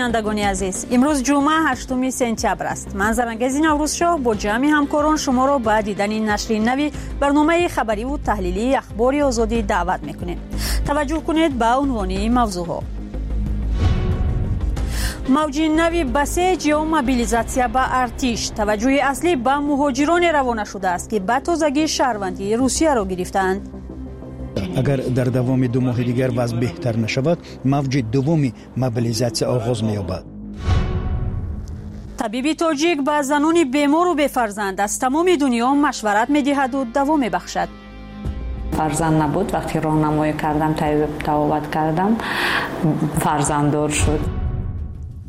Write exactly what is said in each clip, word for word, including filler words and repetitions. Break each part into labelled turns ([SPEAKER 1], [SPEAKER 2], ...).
[SPEAKER 1] Бинандагони азиз, имрӯз ҷумъа ҳаштуми сентябр аст. Ман Зарангези Наврӯзшоҳ бо ҷамъи ҳамкорон шуморо ба дидани нашри нави барномаи хабариву таҳлилии Ахбори Озодӣ даъват мекунем. Таваҷҷӯҳ кунед ба унвони мавзӯъҳо. Мавҷи нави басеҷ ё мобилизатсия ба артиш. Таваҷҷӯҳи аслӣ ба муҳоҷироне равона шудааст, ки ба тозагӣ шаҳрвандии Русияро гирифтаанд.
[SPEAKER 2] Агар дар давоми ду моҳи дигар вазъ беҳтар нашавад, мавҷи дуввуми мобилизатсия оғоз меёбад.
[SPEAKER 1] Табиби тоҷик ба занони бемору бефарзанд аз тамоми дунё машварат медиҳаду даво мебахшад.
[SPEAKER 3] Фарзанд набуд, вақте роҳнамоӣ кардам, тавобат кардам, фарзанддор шуд.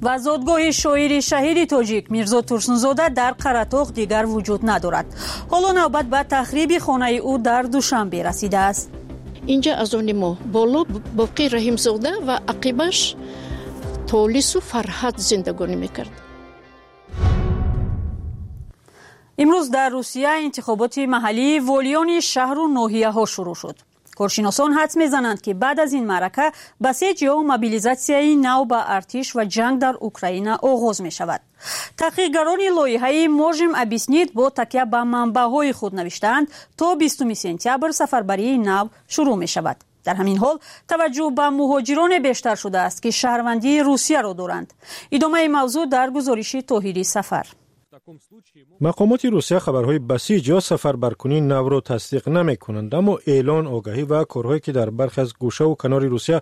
[SPEAKER 1] Ва зодгоҳи шоири шаҳиди тоҷик Мирзо Турсунзода дар Қаратоғ дигар вуҷуд надорад. Ҳоло навбат ба тахриби хонаи ӯ дар Душанбе расидааст.
[SPEAKER 4] Инҷа аз они мо боло Боқӣ Раҳимзода ва ақибаш Толису Фарҳад зиндагонӣ мекард.
[SPEAKER 1] Имрӯз дар Русия интихоботи маҳаллии волиёни шаҳру ноҳияҳо шурӯъ шуд. Коршиносон ҳадс мезананд, ки баъд аз ин маърака басеҷ ё мобилизатсияи нав ба артиш ва ҷанг дар Украина оғоз мешавад. Таҳқиқгарони лоиҳаи «Можем объяснить» бо такя ба манбаъҳои худ навиштаанд, то бистуми сентябр сафарбарии нав шурӯъ мешавад. Дар ҳамин ҳол таваҷҷӯҳ ба муҳоҷироне бештар шудааст, ки шаҳрвандии Русияро доранд. Идомаи мавзӯъ дар гузориши Тоҳири Сафар.
[SPEAKER 5] Мақомоти Русия хабарҳои басиҷ ё сафарбаркунии навро тасдиқ намекунанд, аммо эълон, огаҳӣ ва корҳое, ки дар бархе аз гӯшаву канори Русия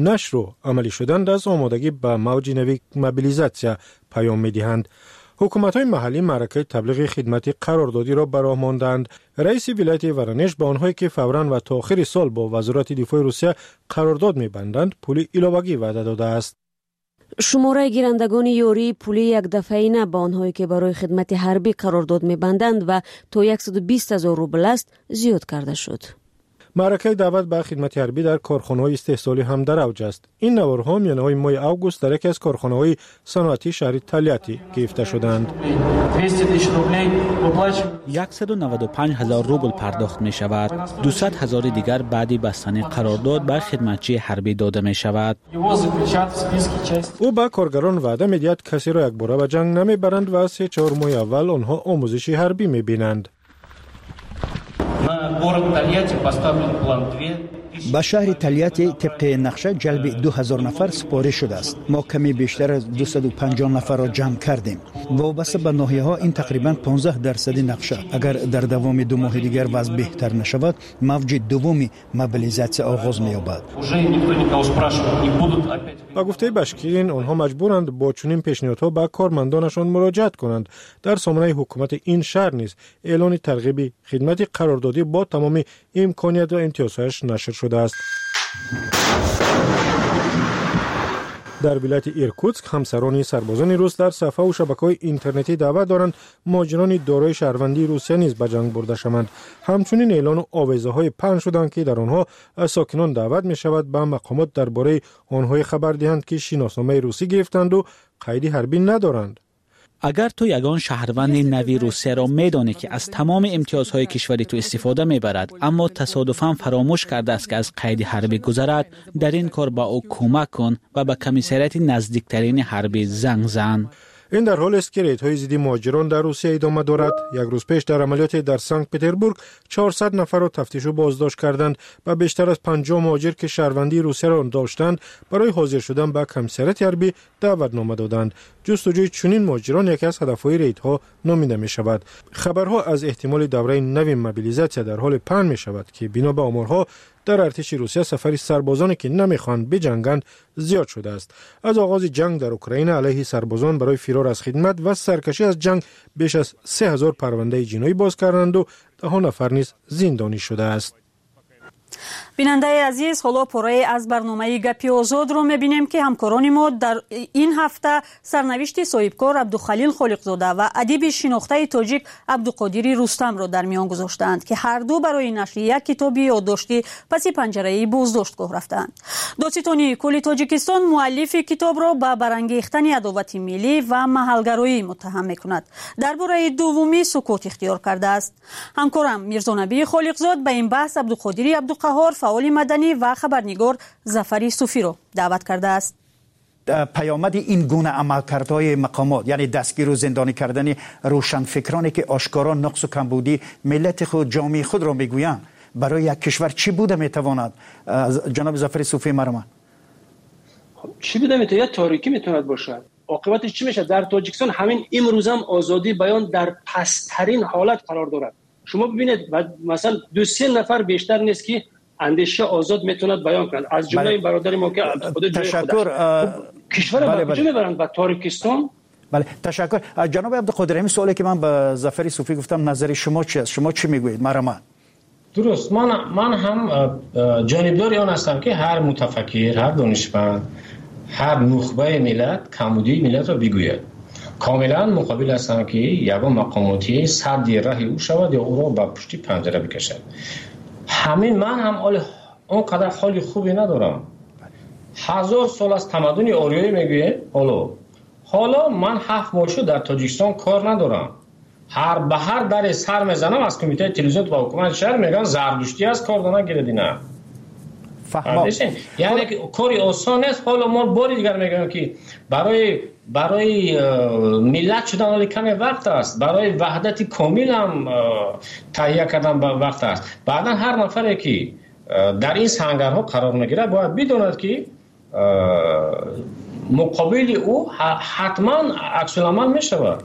[SPEAKER 5] нашру амалӣ шуданд, аз омодагӣ ба мавҷи нави мобилизатсия паём медиҳанд. Ҳукуматҳои маҳаллӣ маъракаи таблиғи хидмати қарордодиро ба роҳ мондаанд. Раиси вилояти Воронеж ба онҳое, ки фавран ва то охири сол бо Вазорати дифои Русия қарордод мебанданд, пули иловагӣ ваъда додааст.
[SPEAKER 6] Шумораи гирандагони ёрии пулии якдафъаина ба онҳое, ки барои хидмати ҳарбӣ қарордод мебанданд ва то яксаду бист ҳазор рубл аст, зиёд карда шуд.
[SPEAKER 5] Маъракаи даъват ба хидмати ҳарбӣ дар корхонаҳои истеҳсолӣ ҳам дар авҷ аст. Ин наворҳо миёнаҳои моҳи август дар яке аз корхонаҳои саноатии шаҳри Тольятти гирифта шуданд.
[SPEAKER 7] яксаду наваду панҷ ҳазор рубл пардохт мешавад. дусад ҳазори дигар баъди бастани қарордод ба хидматчии ҳарбӣ дода мешавад.
[SPEAKER 5] Ӯ ба коргарон ваъда медиҳад, касеро якбора ба ҷанг намебаранд ва се чор моҳи аввал онҳо омӯзиши ҳарбӣ мебинанд.
[SPEAKER 2] Ба шаҳри Тольятти тибқи нақша ҷалби ду ҳазор нафар супориш шудааст. Мо каме бештар аз дусаду панҷоҳ нафарро ҷамъ кардем. Вобаста ба ноҳияҳо ин тақрибан понздаҳ дарсади нақша. Агар дар давоми ду моҳи дигар вазъ беҳтар нашавад, мавҷи дуввуми мобилизатсия оғоз меёбад.
[SPEAKER 5] Ба гуфтаи Башкирин, онҳо маҷбуранд бо чунин пешниҳодҳо ба кормандонашон муроҷиат кунанд. Дар сомонаи ҳукумати ин шаҳр низ эълони тарғиби хидмати қарордодӣ бо тамоми имконият ва имтиёзҳояш нашр шудааст. Дар вилояти Иркутск ҳамсарони сарбозони рус дар сафҳаву шабакаҳои интернетӣ даъват доранд муҳоҷирони дорои шаҳрвандии Русия низ ба ҷанг бурда шаванд. Ҳамчунин эълону овезаҳое паҳн шуданд, ки дар онҳо сокинон даъват мешавад ба мақомот дар бораи онҳое хабар диҳанд, ки шиносномаи русӣ гирифтанду қайди ҳарбӣ надоранд.
[SPEAKER 7] Агар ту ягон шаҳрванди нави Русияро медонӣ, ки аз тамоми имтиёзҳои кишвари ту истифода мебарад, аммо тасодуфан фаромӯш кардааст, ки аз қайди ҳарбӣ гузарад, дар ин кор ба ӯ кӯмак кун ва ба комиссариати наздиктарини ҳарбӣ занг зан.
[SPEAKER 5] Ин дар ҳолест, ки рейдҳои зидди муҳоҷирон дар Русия идома дорад. Як рӯз пеш дар амалиёте дар Санкт-Петербург чорсад нафарро тафтишу боздошт карданд ва бештар аз панҷоҳ муҳоҷир, ки шаҳрвандии Русияро доштанд, барои ҳозир шудан ба комиссариати ҳарбӣ даъватнома доданд. Ҷустуҷӯи чунин муҳоҷирон яке аз ҳадафҳои рейдҳо номида мешавад. Хабарҳо аз эҳтимоли давраи нави мобилизатсия дар ҳоле паҳн мешавад, ки бино ба оморҳо дар артиши Русия сафари сарбозоне, ки намехоҳанд биҷанганд, зиёд шудааст. Аз оғози ҷанг дар Украина алайҳи сарбозон барои фирор аз хидмат ва саркашӣ аз ҷанг беш аз се ҳазор парвандаи ҷиноӣ боз карданду даҳо нафар низ зиндонӣ шудааст.
[SPEAKER 1] Бинандаи азиз, ҳоло порае аз барномаи Гапи Озодро мебинем, ки ҳамкорони мо дар ин ҳафта сарнавишти соҳибкор Абдухалил Холиқзода ва адиби шинохтаи тоҷик Абдуқодири Рустамро дар миён гузоштаанд, ки ҳар ду барои нашри як китоби ёддоштӣ паси панҷараи боздоштгоҳ рафтаанд. Додситонии кулли Тоҷикистон муаллифи китобро ба барангехтани адовати миллӣ ва маҳалгароӣ муттаҳам мекунад. Дар бораи дуввумӣ сукут ихтиёр кардааст. Ҳамкорам Мирзонабии Холиқзод ба ин баҳс Абдуқодири Абдуқаҳор, фаъоли маданӣ ва хабарнигор Зафари Суфиро даъват кардааст.
[SPEAKER 2] پیامد این گونه عملکردهای مقامات، یعنی دستگیر و زندانی کردن روشنفکرانی که آشکارا نقص و کمبودی ملت خود، جامعه خود را میگویند، برای یک کشور چی بوده میتواند؟ جناب ظفر صوفی مرحمت.
[SPEAKER 8] خب چی بوده میتواند؟ تاریکی میتواند باشد. عاقبتش چی میشه؟ در تاجیکستان همین امروز هم آزادی بیان در پست‌ترین حالت قرار دارد. شما ببینید مثلا دو سه نفر بیشتر نیست که اندیشه آزاد میتواند بیان کند، از جمله این برادر ما که خود جای
[SPEAKER 2] تشکر
[SPEAKER 8] کشور به کجا میبرند؟ به تاریکستان.
[SPEAKER 2] بله تشکر. جناب عبدالقادر، این سوالی که من به ظفر صوفی گفتم، نظر شما چی است؟ شما چی میگویید؟ مرحمت.
[SPEAKER 9] درست، من من هم جانبدار آن هستم که هر متفکر، هر دانشمند، هر نخبه ملت کمبودی ملت را بگوید. کاملا مقابل هستم که یگان مقاماتی سد راه او شود یا او را به پشت پنجره بکشد. همین من هم آنقدر حال خوبی ندارم. هزار سال از تمدن آریایی میگوید، حالا حالا من هفت ماه شد در تاجیکستان کار ندارم. هر به هر در سر میزنم از کمیته تلویزیون و حکومت شهر میگن زردشتی از کار دانه گیردی نه. یعنی کاری آسان نیست. حالا ما باری دیگر میگم که برای برای ملت شدن حالا کمی وقت است، برای وحدت کامل هم تهیه کردن وقت است. بعدا هر نفری که در این سنگرها قرار میگیره باید بداند که مقابل او حتما عکس العمل میشود.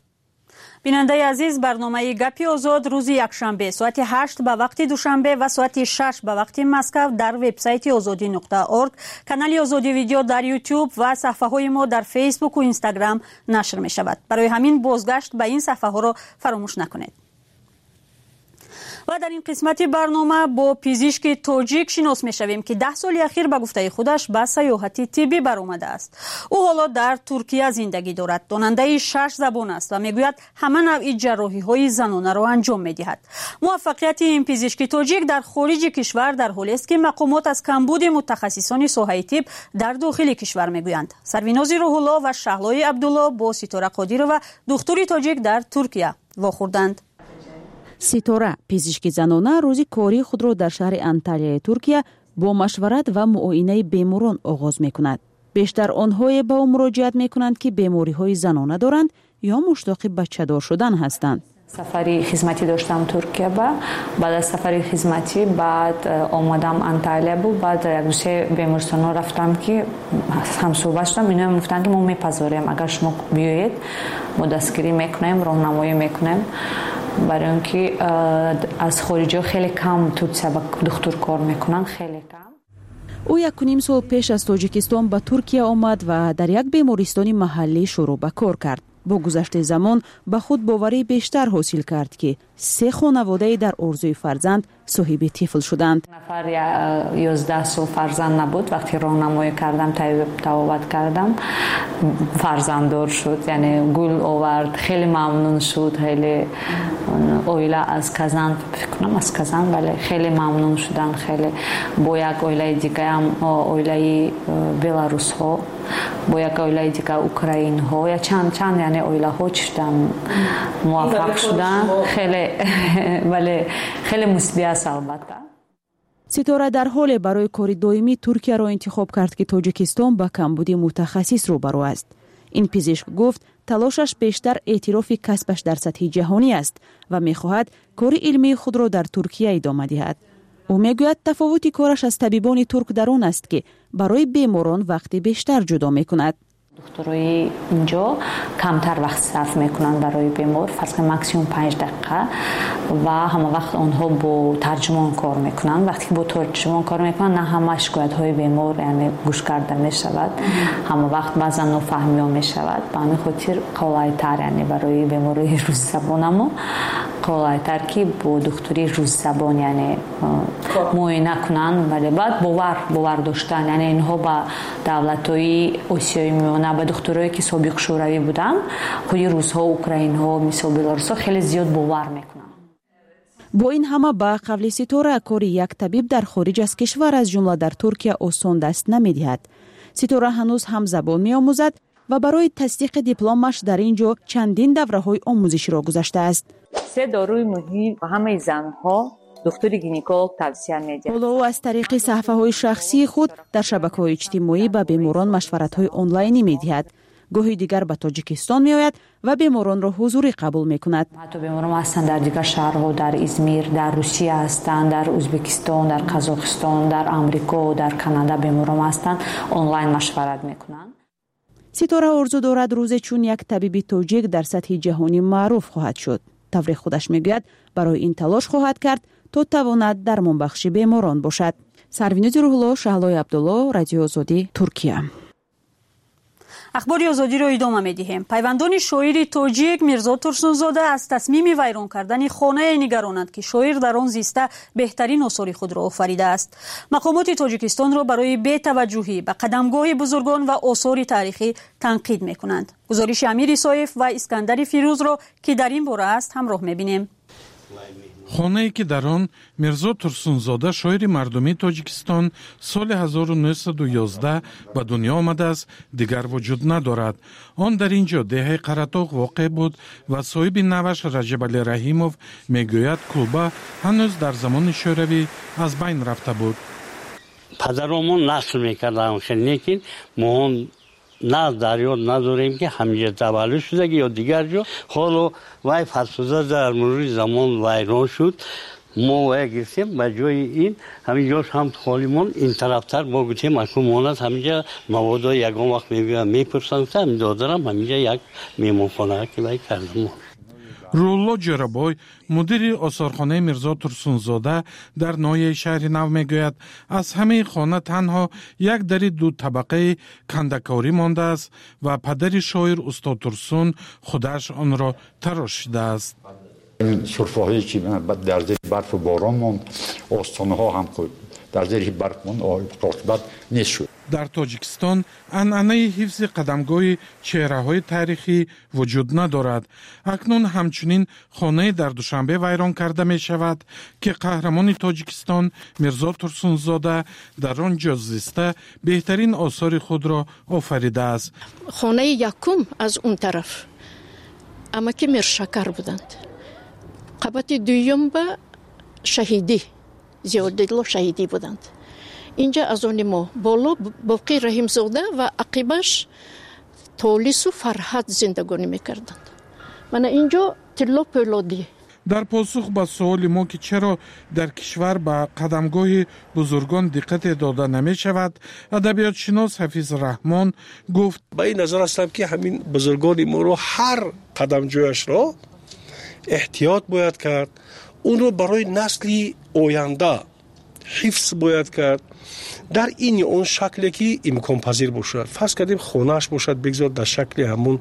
[SPEAKER 1] бинандаи азиз, барномаи гапи озод рӯзи якшанбе соати ҳашт ба вақти душанбе ва соати шаш ба вақти Москав дар вебсайти озодӣ нуқта орг, канали Озодӣ видео дар Ютуб ва саҳфаҳои мо дар Фейсбуку Инстаграм нашр мешавад. Барои ҳамин бозгашт ба ин саҳфаҳоро фаромӯш накунед. Ва дар ин қисмати барнома бо пизишки тоҷик шинос мешавем, ки даҳ соли ахир ба гуфтаи худаш ба сайёҳати тиббӣ баромадааст. Ӯ ҳоло дар Туркия зиндагӣ дорад, донандаи шаш забон аст ва мегӯяд ҳама навъи ҷарроҳиҳои занонаро анҷом медиҳад. Муваффақияти ин пизишки тоҷик дар хориҷи кишвар дар ҳолест, ки мақомот аз камбуди мутахассисони соҳаи тиб дар дохили кишвар мегӯянд. Сарвинози Рӯҳулло ва Шаҳлои Абдулло бо Ситора Қодирова, духтури тоҷик дар Туркия, вохӯрданд.
[SPEAKER 10] Ситора, пизишки занона, рӯзи кории худро дар шаҳри Анталияи Туркия бо машварат ва муоинаи беморон оғоз мекунад. Бештар онҳое ба ӯ муроҷиат мекунанд, ки бемориҳои занона доранд ё муштоқи бачадор шудан ҳастанд.
[SPEAKER 3] Сафари хизматӣ доштам Туркия ба, баъд аз сафари хизматӣ баъд омадам Анталия бу, баъд як ду се беморхонаҳо рафтам ки ҳамсӯҳбат шудам. Ино мегуфтанд ки мо мепазорем, агар шумо биёед мо дастгирӣ мекунем, роҳнамоӣ мекунем. Барои он ки аз хориҷиҳо хеле кам Туркия ба духтур кор мекунанд, хеле кам.
[SPEAKER 10] Ӯ якуним сол пеш аз Тоҷикистон ба Туркия омад ва дар як бемористони маҳаллӣ шурӯъ ба кор кард. Бо гузашти замон ба худ боварӣ бештар ҳосил кард, ки се хонаводаи дар орзуи фарзанд соҳиби тифл шуданд.
[SPEAKER 3] Нафар ёздаҳ сол фарзанд набуд. Вақте роҳнамоӣ кардам, тавобат кардам, фарзанддор шуд, яъне гул овард, хеле мамнун шуд. Хеле оила аз Казан, фикр кунам аз Казан, бале, хеле мамнун шуданд. Хеле бо як оилаи дигаам, оилаи беларусҳо, бо як оилаи дига украинҳо, я чанд чанд яъне оилаҳо чӣ шуданд, муваффақ шуданд. Хеле бале, хеле мусбӣ аст албатта.
[SPEAKER 10] Ситора дар ҳоле барои кори доимӣ Туркияро интихоб кард, ки Тоҷикистон ба камбуди мутахассис рӯбарӯ аст. Ин пизишк гуфт, талошаш бештар эътирофи касбаш дар сатҳи ҷаҳонӣ аст ва мехоҳад кори илмии худро дар Туркия идома диҳад. Ӯ мегӯяд, тафовути кораш аз табибони турк дар он аст, ки барои беморон вақти бештар ҷудо мекунад.
[SPEAKER 3] Духтурои инҷо камтар вақт сарф мекунанд барои бемор, фарз кунед максимум панҷ дақиқа, ва ҳама вақт онҳо бо тарҷумон кор мекунанд. Вақте ки бо тарҷумон кор мекунанд, на ҳама шикоятҳои бемор яъне гӯш карда мешавад, ҳама вақт баъзан нофаҳмиҳо мешавад. Ба ҳамин хотир қолайтар, яъне барои беморои русзабонамо қолайтар, ки бо духтури русзабон яъне муоина кунанд. Вале баъд бовар бовар доштан, яъне инҳо ба давлатҳои Осиёи Миёна, ба духтурое ки собиқ шӯравӣ буданд, худи русҳо, украинҳо, мисол беларусҳо хеле зиёд бовар мекунанд.
[SPEAKER 10] Бо ин ҳама, ба қавли Ситора, кори як табиб дар хориҷ аз кишвар, аз ҷумла дар Туркия, осон даст намедиҳад. Ситора ҳанӯз ҳам забон меомӯзад ва барои тасдиқи дипломаш дар ин ҷо чандин давраҳои омӯзиширо гузаштааст.
[SPEAKER 3] Се доруи муҳим ҳамаи занҳо Духтури гинеколог тавсия медиҳад.
[SPEAKER 10] Ҳоло ӯ аз тариқи саҳифаҳои шахсии худ дар шабакаҳои иҷтимоӣ ба беморон машваратҳои онлайнӣ медиҳад. Гоҳи дигар ба Тоҷикистон меояд ва беморонро ҳузурӣ қабул мекунад.
[SPEAKER 3] Ҳатто беморон ҳастанд дар дигар шаҳрҳо, дар Измир, дар Русия ҳастанд, дар Ӯзбекистон, дар Қазоқистон, дар Амрико, дар Канада беморон ҳастанд, онлайн машварат мекунанд.
[SPEAKER 10] Ситора орзу дорад рӯзе чун як табиби тоҷик дар сатҳи ҷаҳонӣ маъруф хоҳад шуд. Тавре худаш мегӯяд, барои ин талош хоҳад кард то тавонад дармонбахши беморон бошад. Сарвинози Рӯҳулло, Шаҳлои Абдулло, Радиои Озодӣ, Туркия.
[SPEAKER 1] Ахбори Озодиро идома медиҳем. Пайвандони шоири тоҷик Мирзо Турсунзода аз тасмими вайрон кардани хонае нигаронанд, ки шоир дар он зиста беҳтарин осори худро офаридааст. Мақомоти Тоҷикистонро барои бетаваҷҷӯҳӣ ба қадамгоҳи бузургон ва осори таърихӣ танқид мекунанд. Гузориши Амир Исоев ва Искандари Фирӯзро, ки дар ин бора аст, ҳамроҳ мебинем.
[SPEAKER 11] Хонае ки дар он Мирзо Турсунзода, шоири мардумии Тоҷикистон, соли ҳазору нӯҳсаду ёздаҳ ба дунё омадааст, дигар вуҷуд надорад. Он дар ин ҷо деҳаи Қаратоғ воқеъ буд ва соҳиби наваш Раҷабалӣ Раҳимов мегӯяд, кулба ҳанӯз дар замони шӯравӣ аз байн рафта буд.
[SPEAKER 12] Падаромон нақл мекарданд, лекин мо он на дар ёд надорем, ки ҳаминҷа таваллуд шудаги ё дигар ҷо. Ҳоло вай фарсуда дар мурури замон вайрон шуд. Мо вай гирифтем, ба ҷои ин ҳамин ҷош ҳам холӣ монд. Ин тарафтар мо гуфтем, акнун монад ҳаминҷа маводо ягон вақт мебиёянд, мепурсанд, ҳамин додарам ҳаминҷа як меҳмонхона ки вай кардам.
[SPEAKER 11] Рӯҳулло Ҷӯрабой, мудири осорхонаи Мирзо Турсунзода дар ноҳияи шаҳри Нав мегӯяд, аз ҳамаи хона танҳо як дари дутабақаи кандакорӣ мондааст ва падари шоир устод Турсун худаш онро тарошидааст.
[SPEAKER 13] Сурфаҳое ки дар зери барфу борон монд, остонаҳо ҳам дар зери барф монд, оқибат нест шуд.
[SPEAKER 11] Дар Тоҷикистон анъанаи ҳифзи қадамгоҳи чеҳраҳои таърихӣ вуҷуд надорад. Акнун ҳамчунин хонае дар Душанбе вайрон карда мешавад, ки қаҳрамони Тоҷикистон Мирзо Турсунзода дар он ҷо зиста беҳтарин осори худро офаридааст.
[SPEAKER 4] Хонаи якум аз он тараф амаки Миршакар буданд. Қабати дуюм ба Шаҳидӣ, Зиёдилло Шаҳидӣ буданд. Инҷа аз они мо боло Боқӣ Раҳимзода ва ақибаш Толису Фарҳад зиндагонӣ мекарданд. Мана инҷо Тилло Пӯлодӣ.
[SPEAKER 11] Дар посух ба суоли мо, ки чаро дар кишвар ба қадамгоҳи бузургон диққате дода намешавад, адабиётшинос Ҳафиз Раҳмон гуфт:
[SPEAKER 14] ба ин назар ҳастам, ки ҳамин бузургони моро ҳар қадамҷояшро эҳтиёт бояд кард, онро барои насли оянда ҳифз бояд кард дар ин ё он шакле ки имконпазир бошад. Фарз кардем хонааш бошад, бигзор дар шакли ҳамун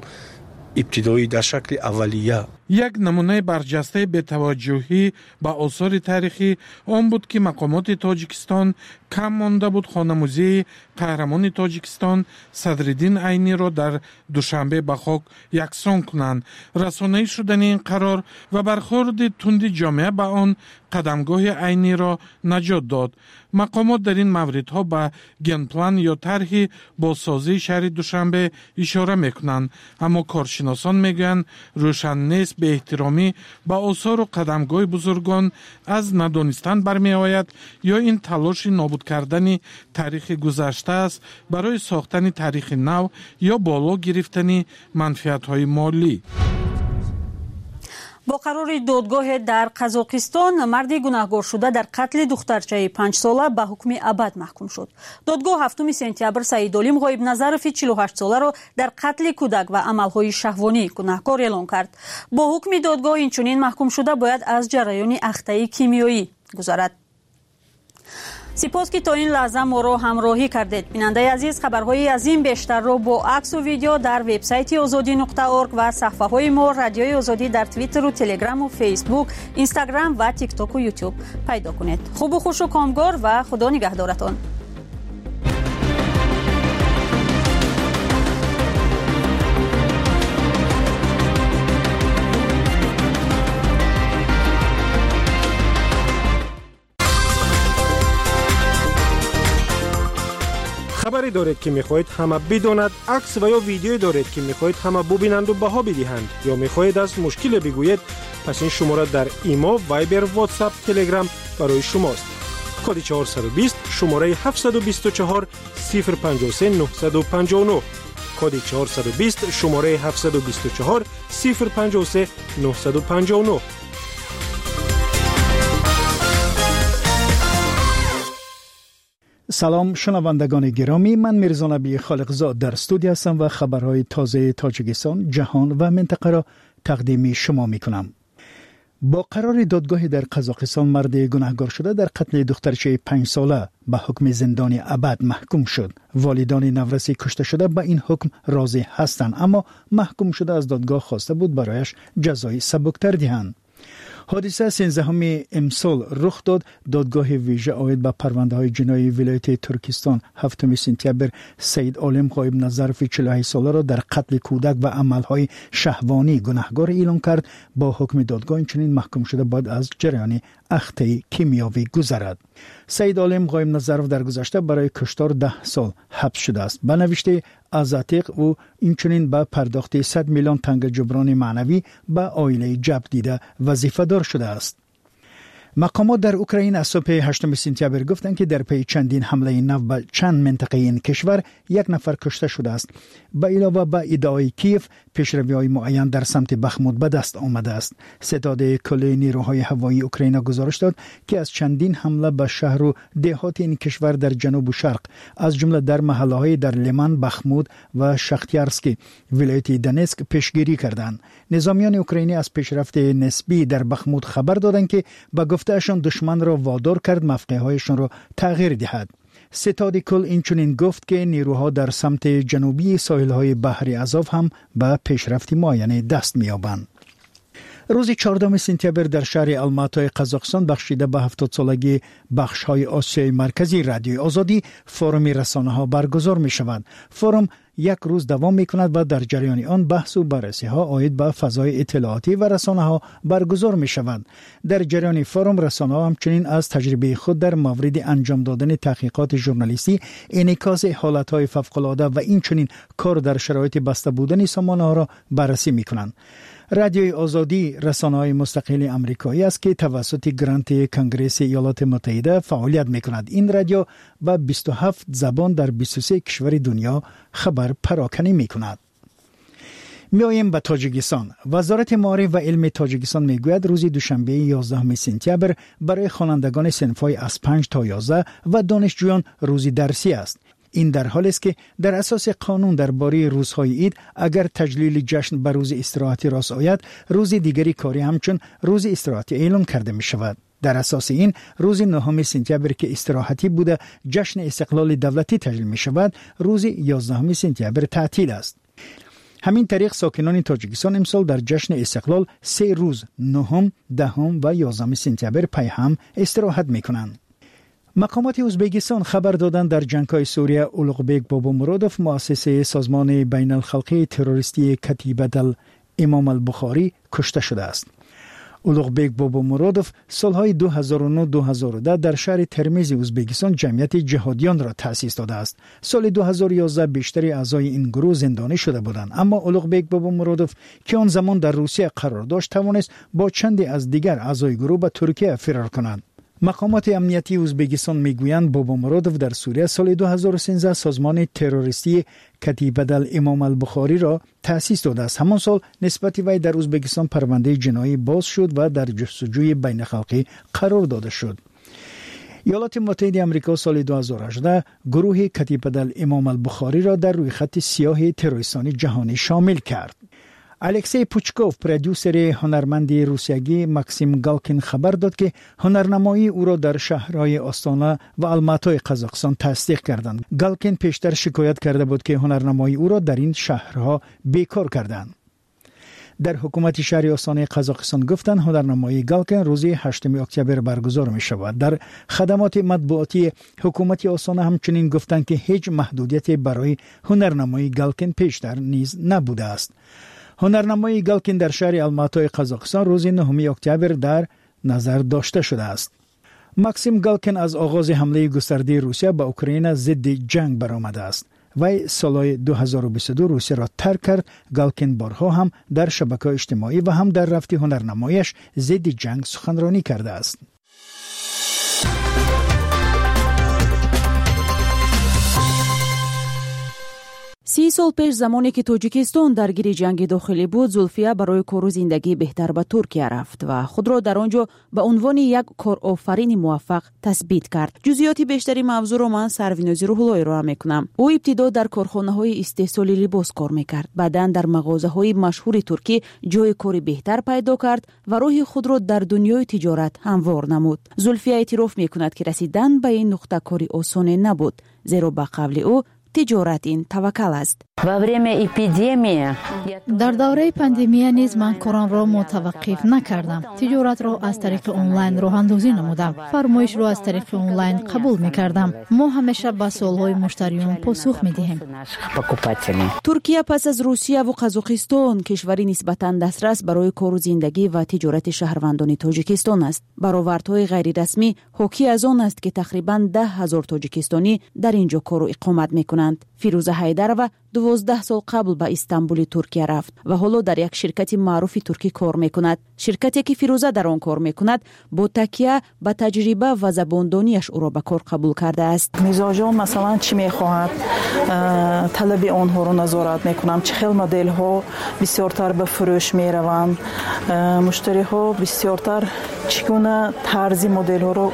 [SPEAKER 14] ибтидоӣ, дар шакли аввалия.
[SPEAKER 11] Як намунаи барҷастаи бетаваҷҷӯҳӣ ба осори таърихӣ он буд, ки мақомоти Тоҷикистон кам монда буд хонамузеи қаҳрамони Тоҷикистон Садриддин Айниро дар Душанбе ба хок яксон кунанд. Расонаӣ шудани ин қарор ва бархӯрди тунди ҷомеа ба он қадамгоҳи Айниро наҷот дод. Мақомот дар ин мавридҳо ба генплан ё тарҳи бозсозии шаҳри Душанбе ишора мекунанд, аммо коршиносон мегӯянд, рӯшан нест беэҳтиромӣ ба осору қадамгоҳи бузургон аз надонистан бармеояд ё ин талоши нобуд кардани таърихи гузашта аст барои сохтани таърихи нав ё боло гирифтани манфиатҳои молӣ.
[SPEAKER 1] Бо қарори додгоҳе дар Қазоқистон марди гунаҳгоршуда дар қатли духтарчаи панҷсола ба ҳукми абад маҳкум шуд. Додгоҳ ҳафтуми сентябр Саидолим Ғоибназарови чилу ҳаштсоларо дар қатли кӯдак ва амалҳои шаҳвонӣ гунаҳкор эълон кард. Бо ҳукми додгоҳ инчунин маҳкумшуда бояд аз ҷараёни ахтаи кимиёӣ гузарад. Сипос, ки то ин лаҳза моро ҳамроҳӣ кардед. Бинандаи азиз, хабарҳои аз ин бештарро бо аксу видео дар вебсайти озодӣ нуқта орг ва саҳфаҳои мо Радиои Озодӣ дар Твиттеру, Телеграму, Фейсбук, Инстаграм ва Тиктоку, Ютуб пайдо кунед. Хубу хушу комгор ва Худо нигаҳдоратон.
[SPEAKER 5] Хабаре доред, ки мехоҳед ҳама бидонад, акс ва ё видеое доред, ки мехоҳед ҳама бубинанду баҳо бидиҳанд, ё мехоҳед аз мушкиле бигӯед, пас ин шумора дар Имо, Вайбер, Ватсап, Телеграм барои шумост. Коди чорсаду бист, шумораи ҳафтсаду бисту чор сифр панҷоҳу се нуҳсаду панҷоҳу нӯҳ. Коди чорсаду бист, шумораи ҳафтсаду бисту чор сифр панҷоҳу се нуҳсаду панҷоҳу нӯҳ.
[SPEAKER 2] Салом, шунавандагони гиромӣ. Ман Мирзонаби Холиқзод дар студия ҳастам ва хабарҳои тозаи Тоҷикистон, ҷаҳон ва минтақаро тақдими шумо мекунам. Бо қарори додгоҳе дар Қазоқистон, марди гунаҳгор шуда дар қатли духтарчаи панҷсола ба ҳукми зиндони абад маҳкум шуд. Волидони навраси кушташуда ба ин ҳукм розӣ ҳастанд, аммо маҳкум шуда аз додгоҳ хоста буд барояш ҷазои сабуктар диҳанд. Ҳодиса сенздаҳуми имсол рух дод. Додгоҳи вижа оид ба парвандаҳои ҷиноии вилояти Туркистон ҳафтуми сентябр Саид Олим Ғоибназарови чилу ҳашт соларо дар қатли кӯдак ва амалҳои шаҳвонӣ гунаҳгор эълон кард. Бо ҳукми додгоҳ инчунин маҳкумшуда бояд аз ҷараёни ахтаи кимиёвӣ гузарад. Саид Олим Ғоибназаров дар гузашта барои куштор даҳ сол ҳабс шудааст. Ба навиштаи Азаттиқ, ӯ инчунин ба пардохти сад миллион танга ҷуброни маънавӣ ба оилаи ҷабр дида вазифадор шудааст. Мақомот дар Украина аз субҳи ҳаштуми сентябр гуфтанд, ки дар пайи чандин ҳамлаи нав ба чанд минтақаи ин кишвар як нафар кушта шудааст. Ба илова, ба иддаои Киев, пешравиҳои муайян дар самти Бахмут ба даст омадааст. Ситоди кулли нерӯҳои ҳавоии Украина гузориш дод, ки аз чандин ҳамла ба шаҳру деҳоти ин кишвар дар ҷанубу шарқ, аз ҷумла дар маҳаллаҳои дар Лиман, Бахмут ва Шахтярски вилояти Донецк пешгирӣ карданд. Низомиёни украинӣ аз пешрафти нисбӣ дар Бахмут хабар доданд, ки ба гуфтаашон душманро водор кард мавқеъҳояшонро тағйир диҳад. Ситоди кул инчунин гуфт, ки нерӯҳо дар самти ҷанубии соҳилҳои баҳри Азов ҳам ба пешрафти муайяне даст меёбанд. Рӯзи чордаҳуми сентябр дар шаҳри Алматои Қазоқистон, бахшида ба ҳафтодсолагии бахшҳои Осиёи Марказии Радиои Озодӣ, форуми расонаҳо баргузор мешавад. Форум як рӯз давом мекунад ва дар ҷараёни он баҳсу баррасиҳо оид ба фазои иттилоотӣ ва расонаҳо баргузор мешаванд. Дар ҷараёни форум расонаҳо ҳамчунин аз таҷрибаи худ дар мавриди анҷом додани таҳқиқоти журналистӣ, инъикоси ҳолатҳои фавқулода ва инчунин кор дар шароити баста будани сомонаҳоро баррасӣ мекунанд. Радиои Озодӣ расонаҳои мустақили амрикоӣ аст, ки тавассути гранти Конгресси Иёлоти Муттаҳида фаъолият мекунад. Ин радио ба бисту ҳафт забон дар бисту се кишвари дунё хабар пароканӣ мекунад. Меоем ба Тоҷикистон. Вазорати маориф ва илми Тоҷикистон мегӯяд, рӯзи душанбеи ёздаҳуми сентябр барои хонандагони синфҳои аз панҷ то ёздаҳ ва донишҷӯён рӯзи дарсӣ аст. Ин дар ҳолест, ки дар асоси қонун дар бораи рӯзҳои ид, агар таҷлили ҷашн ба рӯзи истироҳатӣ рост ояд, рӯзи дигари корӣ ҳамчун рӯзи истироҳатӣ эълон карда мешавад. Дар асоси ин, рӯзи нӯҳуми сентябр, ки истироҳатӣ буда, ҷашни истиқлоли давлатӣ таҷлил мешавад, рӯзи ёздаҳуми сентябр таътил аст. Ҳамин тариқ, сокинони Тоҷикистон имсол дар ҷашни истиқлол се рӯз, нӯҳум, даҳум ва ёздаҳуми сентябр, пайҳам истироҳат мекунанд. Мақомоти Ӯзбекистон хабар доданд, дар ҷангҳои Сурия Улуғбек Бобомуродов, муассиси созмони байналхалқии террористии Катибатал Имом Албухорӣ, кушта шудааст. Улуғбек Бобомуродов солҳои ду ҳазору нӯҳ-ду ҳазору даҳ дар шаҳри Термизи Ӯзбекистон ҷамъияти ҷиҳодиёнро таъсис додааст. Соли ду ҳазору ёздаҳ бештари аъзои ин гурӯҳ зиндонӣ шуда буданд, аммо Улуғбек Бобомуродов, ки он замон дар Русия қарор дошт, тавонист бо чанде аз дигар аъзои гурӯҳ ба Туркия фирор кунад. Мақомоти амниятии Ӯзбекистон мегӯянд, Бобомуродов дар Сурия соли ду ҳазору сенздаҳ созмони террористии Катибатал Имом Албухориро таъсис додааст. Ҳамон сол нисбати вай дар Ӯзбекистон парвандаи ҷиноӣ боз шуд ва дар ҷустуҷӯи байнихалқӣ қарор дода шуд. Иёлоти Муттаҳидаи Амрико соли ду ҳазору ҳаждаҳ гурӯҳи Катибатал Имом Албухориро дар рӯйхати сиёҳи террористони ҷаҳонӣ шомил кард. Алексей Пучков, продюсери ҳунарманди русиягӣ Максим Галкин, хабар дод, ки ҳунарнамоии ӯро дар шаҳрҳои Остона ва Алматои Қазоқистон тасдиқ карданд. Галкин пештар шикоят карда буд, ки ҳунарнамоии ӯро дар ин шаҳрҳо бекор карданд. Дар ҳукумати шаҳри Остонаи Қазоқистон гуфтанд, ҳунарнамоии Галкин рӯзи ҳаштуми октябр баргузор мешавад. Дар хадамоти матбуотии ҳукумати Остона ҳамчунин гуфтанд, ки ҳеҷ маҳдудияте барои ҳунарнамоии Галкин пештар низ набудааст. Ҳунарнамоии Галкин дар шаҳри Алматои Қазоқистон рӯзи нӯҳуми октябр дар назар дошта шудааст. Максим Галкин аз оғози ҳамлаи густардаи Русия ба Украина зидди ҷанг баромадааст. Вай солҳои ду ҳазору бисту ду Русияро тарк кард. Галкин борҳо ҳам дар шабакаҳои иҷтимоӣ ва ҳам дар рафти ҳунарнамояш зидди ҷанг суханронӣ кардааст.
[SPEAKER 10] Си сол пеш, замоне ки Тоҷикистон даргири ҷанги дохилӣ буд, Зулфия барои кору зиндагии беҳтар ба Туркия рафт ва худро дар он ҷо ба унвони як корофарини муваффақ тасбит кард. Ҷузъиёти бештари мавзӯъро ман Сарвинози Рӯҳулло ироа мекунам. Ӯ ибтидо дар корхонаҳои истеҳсоли либос кор мекард, баъдан дар мағозаҳои машҳури туркӣ ҷои кори беҳтар пайдо кард ва роҳи худро дар дунёи тиҷорат ҳамвор намуд. Зулфия эътироф мекунад, ки расидан ба ин нуқта кори осоне набуд, зеро ба қавли ӯ тиҷорат ин таваккал аст.
[SPEAKER 15] Во время эпидемии
[SPEAKER 16] Дар давраи пандемия низ ман корамро мутаваққиф накардам. Тиҷоратро аз тариқи онлайн роҳандозӣ намудам. Фармоишро аз тариқи онлайн қабул мекардам. Мо ҳамеша ба суолҳои муштариён посух медиҳем.
[SPEAKER 10] Туркия пас аз Русия ва Қазоқистон кишвари нисбатан дастрас барои кору зиндагӣ ва тиҷорати шаҳрвандони Тоҷикистон аст. Баровардҳои ғайрирасмӣ ҳокӣ аз он аст, ки тақрибан даҳ ҳазор тоҷикистонӣ дар ин ҷо кору иқомат мекунанд. Фирӯза Ҳайдарова дувоздаҳ сол қабл ба Истанбули Туркия рафт ва ҳоло дар як ширкати маъруфи туркӣ кор мекунад. Ширкате ки Фирӯза дар он кор мекунад, бо такя ба таҷриба ва забондонияш ӯро ба кор қабул кардааст.
[SPEAKER 17] Мизоҷон масалан чӣ мехоҳад, талаби онҳоро назорат мекунам, чӣ хел моделҳо бисёртар ба фурӯш мераванд, муштариҳо бисёртар чӣ гуна тарзи моделҳоро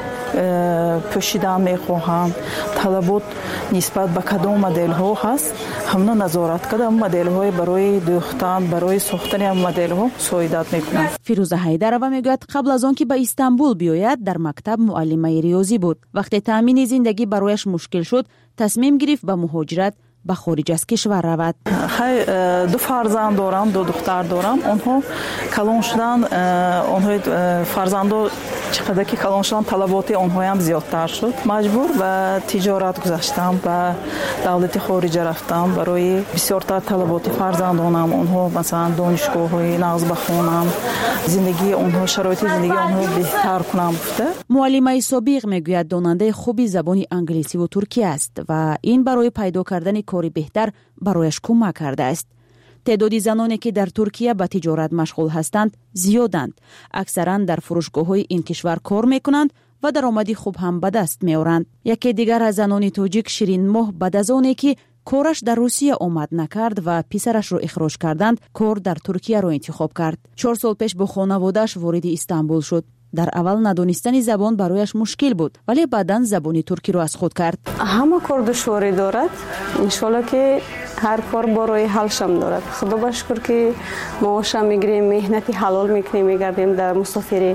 [SPEAKER 17] пӯшидан мехоҳанд, талабот нисбат ба кадом моделҳо ҳаст, ҳамна назорат карда моделҳои барои дӯхтан, барои сохтани моделҳо мусоидат мекунанд.
[SPEAKER 10] Фирӯза Ҳайдарова мегӯяд, қабл аз он ки ба Истанбул биёяд, дар мактаб муаллимаи риёзӣ буд. Вақте таъмини зиндагӣ барояш мушкил шуд, тасмим гирифт ба муҳоҷират ба хориҷ аз кишвар равад.
[SPEAKER 17] Хай, ду фарзанд дорам, ду духтар дорам. Онҳо калон шудан, онҳои фарзандо чӣ қадар ки калон шудан, талаботи онҳоям зиёдтар шуд. Маҷбур ба тиҷорат гузаштам, ба давлати хориҷа рафтам барои бисёртар талаботи фарзандонам. Онҳо масалан донишгоҳҳои нағз бахонам, зиндагии онҳо, шароити зиндагии онҳо беҳтар кунам гуфта.
[SPEAKER 10] Муаллимаи собиқ мегӯяд, донандаи хуби забони англисӣ ва туркӣ аст ва ин барои пайдо кардани кори беҳтар барояш кӯмак кардааст. Теъдоди заноне ки дар Туркия ба тиҷорат машғул ҳастанд зиёданд. Аксаран дар фурӯшгоҳҳои ин кишвар кор мекунанд ва даромади хуб ҳам ба даст меоранд. Яке дигар аз занони тоҷик Ширинмоҳ баъд аз оне ки кораш дар Русия омад накард ва писарашро ихроҷ карданд, кор дар Туркияро интихоб кард. Чор сол пеш бо хонаводааш вориди Истанбул шуд. Дар аввал надонистани забон барояш мушкил буд, вале баъдан забони туркиро аз худ кард.
[SPEAKER 18] Ҳама кор душворӣ дорад. Иншоалло ки ҳар кор бо роҳи ҳалшам дорад. Худо ба шукр ки маошам мегирем, меҳнати ҳалол мекунем, мегардем дар мусофирӣ.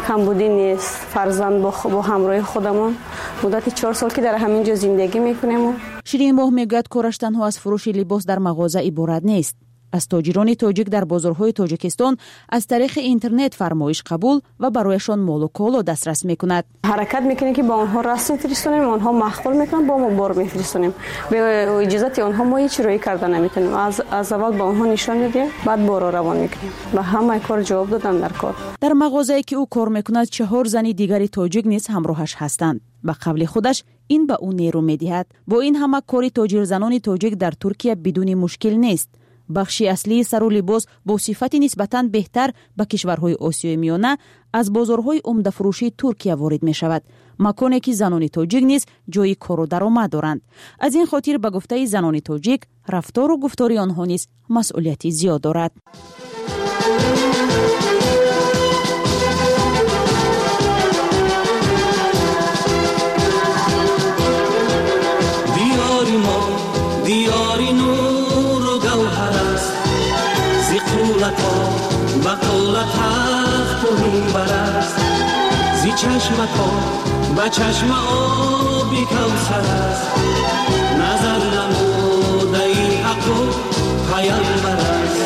[SPEAKER 18] Камбудӣ нест, фарзанд бо ҳамроҳи худамон. Муддати чор сол ки дар ҳамин ҷо зиндагӣ мекунем.
[SPEAKER 10] Ширинмоҳ мегӯяд, кораш танҳо аз фурӯши либос дар мағоза иборат нест. Аз тоҷирони тоҷик дар бозорҳои Тоҷикистон аз тариқи интернет фармоиш қабул ва барояшон молу коло дастрас мекунад.
[SPEAKER 18] Ҳаракат мекунем ки ба онҳо расм фиристонем, онҳо маъқул мекунанд, бо мо бор мефиристонем. Бе иҷозати онҳо мо ҳеҷ роҳӣ карда наметавонем. Аз, аз аввал ба онҳо нишон медиҳем, баъд борро равон мекунем. Ба ҳамаи кор ҷавоб додан дар кор.
[SPEAKER 10] Дар мағозае ки ӯ кор мекунад, чаҳор зани дигари тоҷик низ ҳамроҳаш ҳастанд. Ба қавли худаш ин ба ӯ нерӯ медиҳад. Бо ин ҳама кори тоҷирзанони тоҷик дар Туркия бидуни мушкил нест. Бахши аслии сару либос бо сифати нисбатан беҳтар ба кишварҳои Осиёи Миёна аз бозорҳои умдафурӯшии Туркия ворид мешавад, маконе ки занони тоҷик низ ҷои кору даромад доранд. Аз ин хотир ба гуфтаи занони тоҷик, рафтору гуфтори онҳо низ масъулияти зиёд дорад.
[SPEAKER 19] Диёри мо диёри нуру гавҳар аст, зи қуллато ба қулла тахту минбар аст, зи чашмато ба чашма оби кавсар аст, назар намудаи ҳаққу паямбар аст.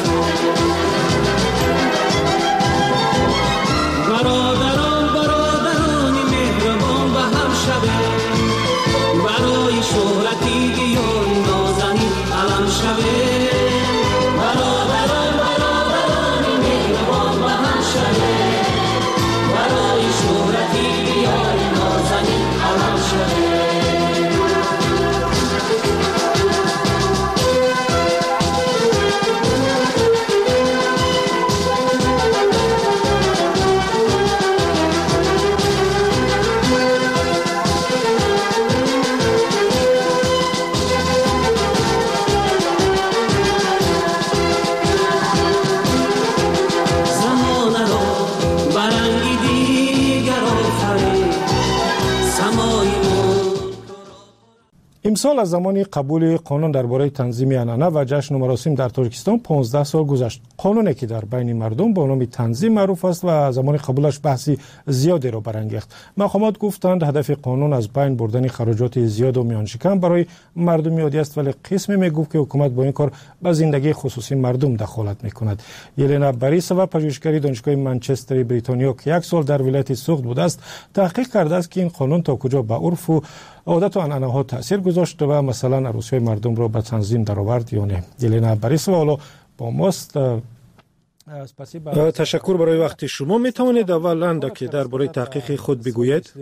[SPEAKER 19] Бародарон, бародарони меҳрубон ба ҳам шавед, барои шӯҳрати диёри нозанин алам шавед. Бародарон, бародарони меҳрубон ба ҳам шавед, барои шӯҳрати диёри
[SPEAKER 5] Имсол аз замони қабули қонун дар бораи танзими анъана ва ҷашну маросим дар Тоҷикистон понздаҳ сол гузашт. Қонуне ки дар байни мардум бо номи танзим маъруф аст ва замони қабулаш баҳси зиёдеро барангехт. Мақомот гуфтанд, ҳадафи қонун аз байн бурдани хароҷоти зиёду миёншикан барои мардуми оддӣ аст, вале қисме мегуфт, ки ҳукумат бо ин кор ба зиндагии хусусии мардум дахолат мекунад. Елена Борисова, пажӯҳишгари Донишгоҳи Манчестери Бритониё, ки як сол дар вилояти Суғд будааст, таҳқиқ кардааст, ки ин қонун то куҷо ба урфу одату анъанаҳо таъсир гузошт ва масалан арӯсиҳои мардумро ба танзим даровард ё не. Елена Борисова ҳоло бо мост. Ташаккур барои вақти шумо. Метавонед аввал андаке дар бораи таҳқиқи худ бигӯед?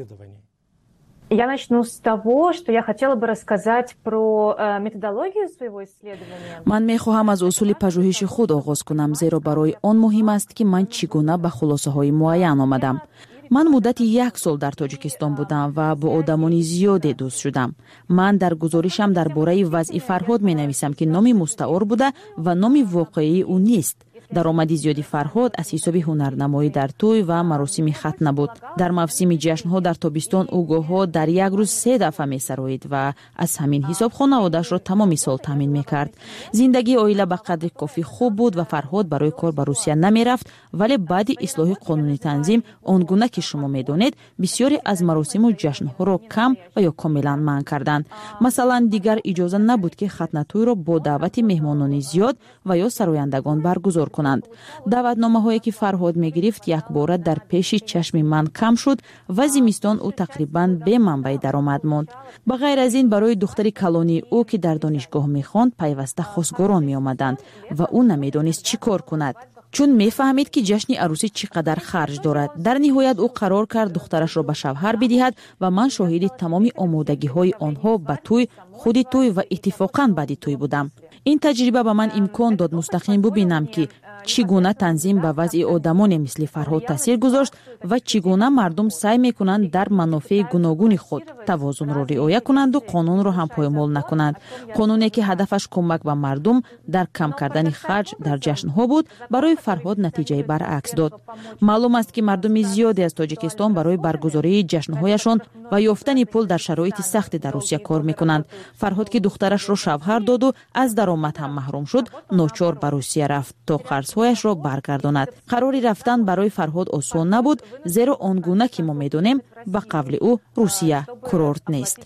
[SPEAKER 20] Я начну с того, что я хотела бы рассказать про методологию своего исследования.
[SPEAKER 10] Ман мехоҳам аз усули пажӯҳиши худ оғоз кунам, зеро барои он муҳим аст, ки ман чӣ гуна ба хулосаҳои муайян омадам. Ман муддати як сол дар Тоҷикистон будам ва бо одамони зиёде дӯст шудам. Ман дар гузоришам дар бораи вазъи Фарҳод менависам, ки номи мустаор буда ва номи воқеии ӯ нест. Даромади зиёди Фарҳод аз ҳисоби ҳунарнамоӣ дар тӯй ва маросими хатна буд. Дар мавсими ҷашнҳо дар тобистон ӯ гоҳҳо дар як рӯз се дафъа месароид ва аз ҳамин ҳисоб хонаводаашро тамоми сол таъмин мекард. Зиндагии оила ба қадри кофӣ хуб буд ва Фарҳод барои кор ба Русия намерафт, вале баъди ислоҳи қонуни танзим, он гуна ки шумо медонед, бисёре аз маросиму ҷашнҳоро кам ва ё комилан манъ карданд. Масалан, дигар иҷоза набуд, ки хатнатӯйро бо даъвати меҳмонони зиёд ва ё сарояндагон баргузор кунанд. Даъватномаҳое ки Фарҳод мегирифт, якбора дар пеши чашми ман кам шуд ва зимистон ӯ тақрибан беманбаи даромад монд. Ба ғайр аз ин, барои духтари калонии ӯ, ки дар донишгоҳ мехонд, пайваста хосгорон меомаданд ва ӯ намедонист чӣ кор кунад, чун мефаҳмид, ки ҷашни арӯсӣ чӣ қадар харҷ дорад. Дар ниҳоят ӯ қарор кард духтарашро ба шавҳар бидиҳад ва ман шоҳиди тамоми омодагиҳои онҳо ба тӯй, худи тӯй ва иттифоқан баъди тӯй будам. Ин таҷриба ба ман имкон дод мустақим бубинам, ки чӣ гуна танзим ба вазъи одамоне мисли Фарҳод таъсир гузошт ва чӣ гуна мардум саъй мекунанд дар манофеи гуногуни худ тавозунро риоя кунанду қонунро ҳам поймол накунанд. Қонуне ки ҳадафаш кӯмак ба мардум дар кам кардани харҷ дар ҷашнҳо буд, барои Фарҳод натиҷаи баръакс дод. Маълум аст, ки мардуми зиёде аз Тоҷикистон барои баргузории ҷашнҳояшон ва ёфтани пул дар шароити сахте дар Русия кор мекунанд. Фарҳод, ки духтарашро шавҳар доду аз даромад ҳам маҳрум шуд, ночор ба Русия рафт то қарзҳояшро баргардонад. Қарори рафтан барои Фарҳод осон набуд, зеро он гуна ки мо медонем, ба қавли ӯ, Русия курорт нест.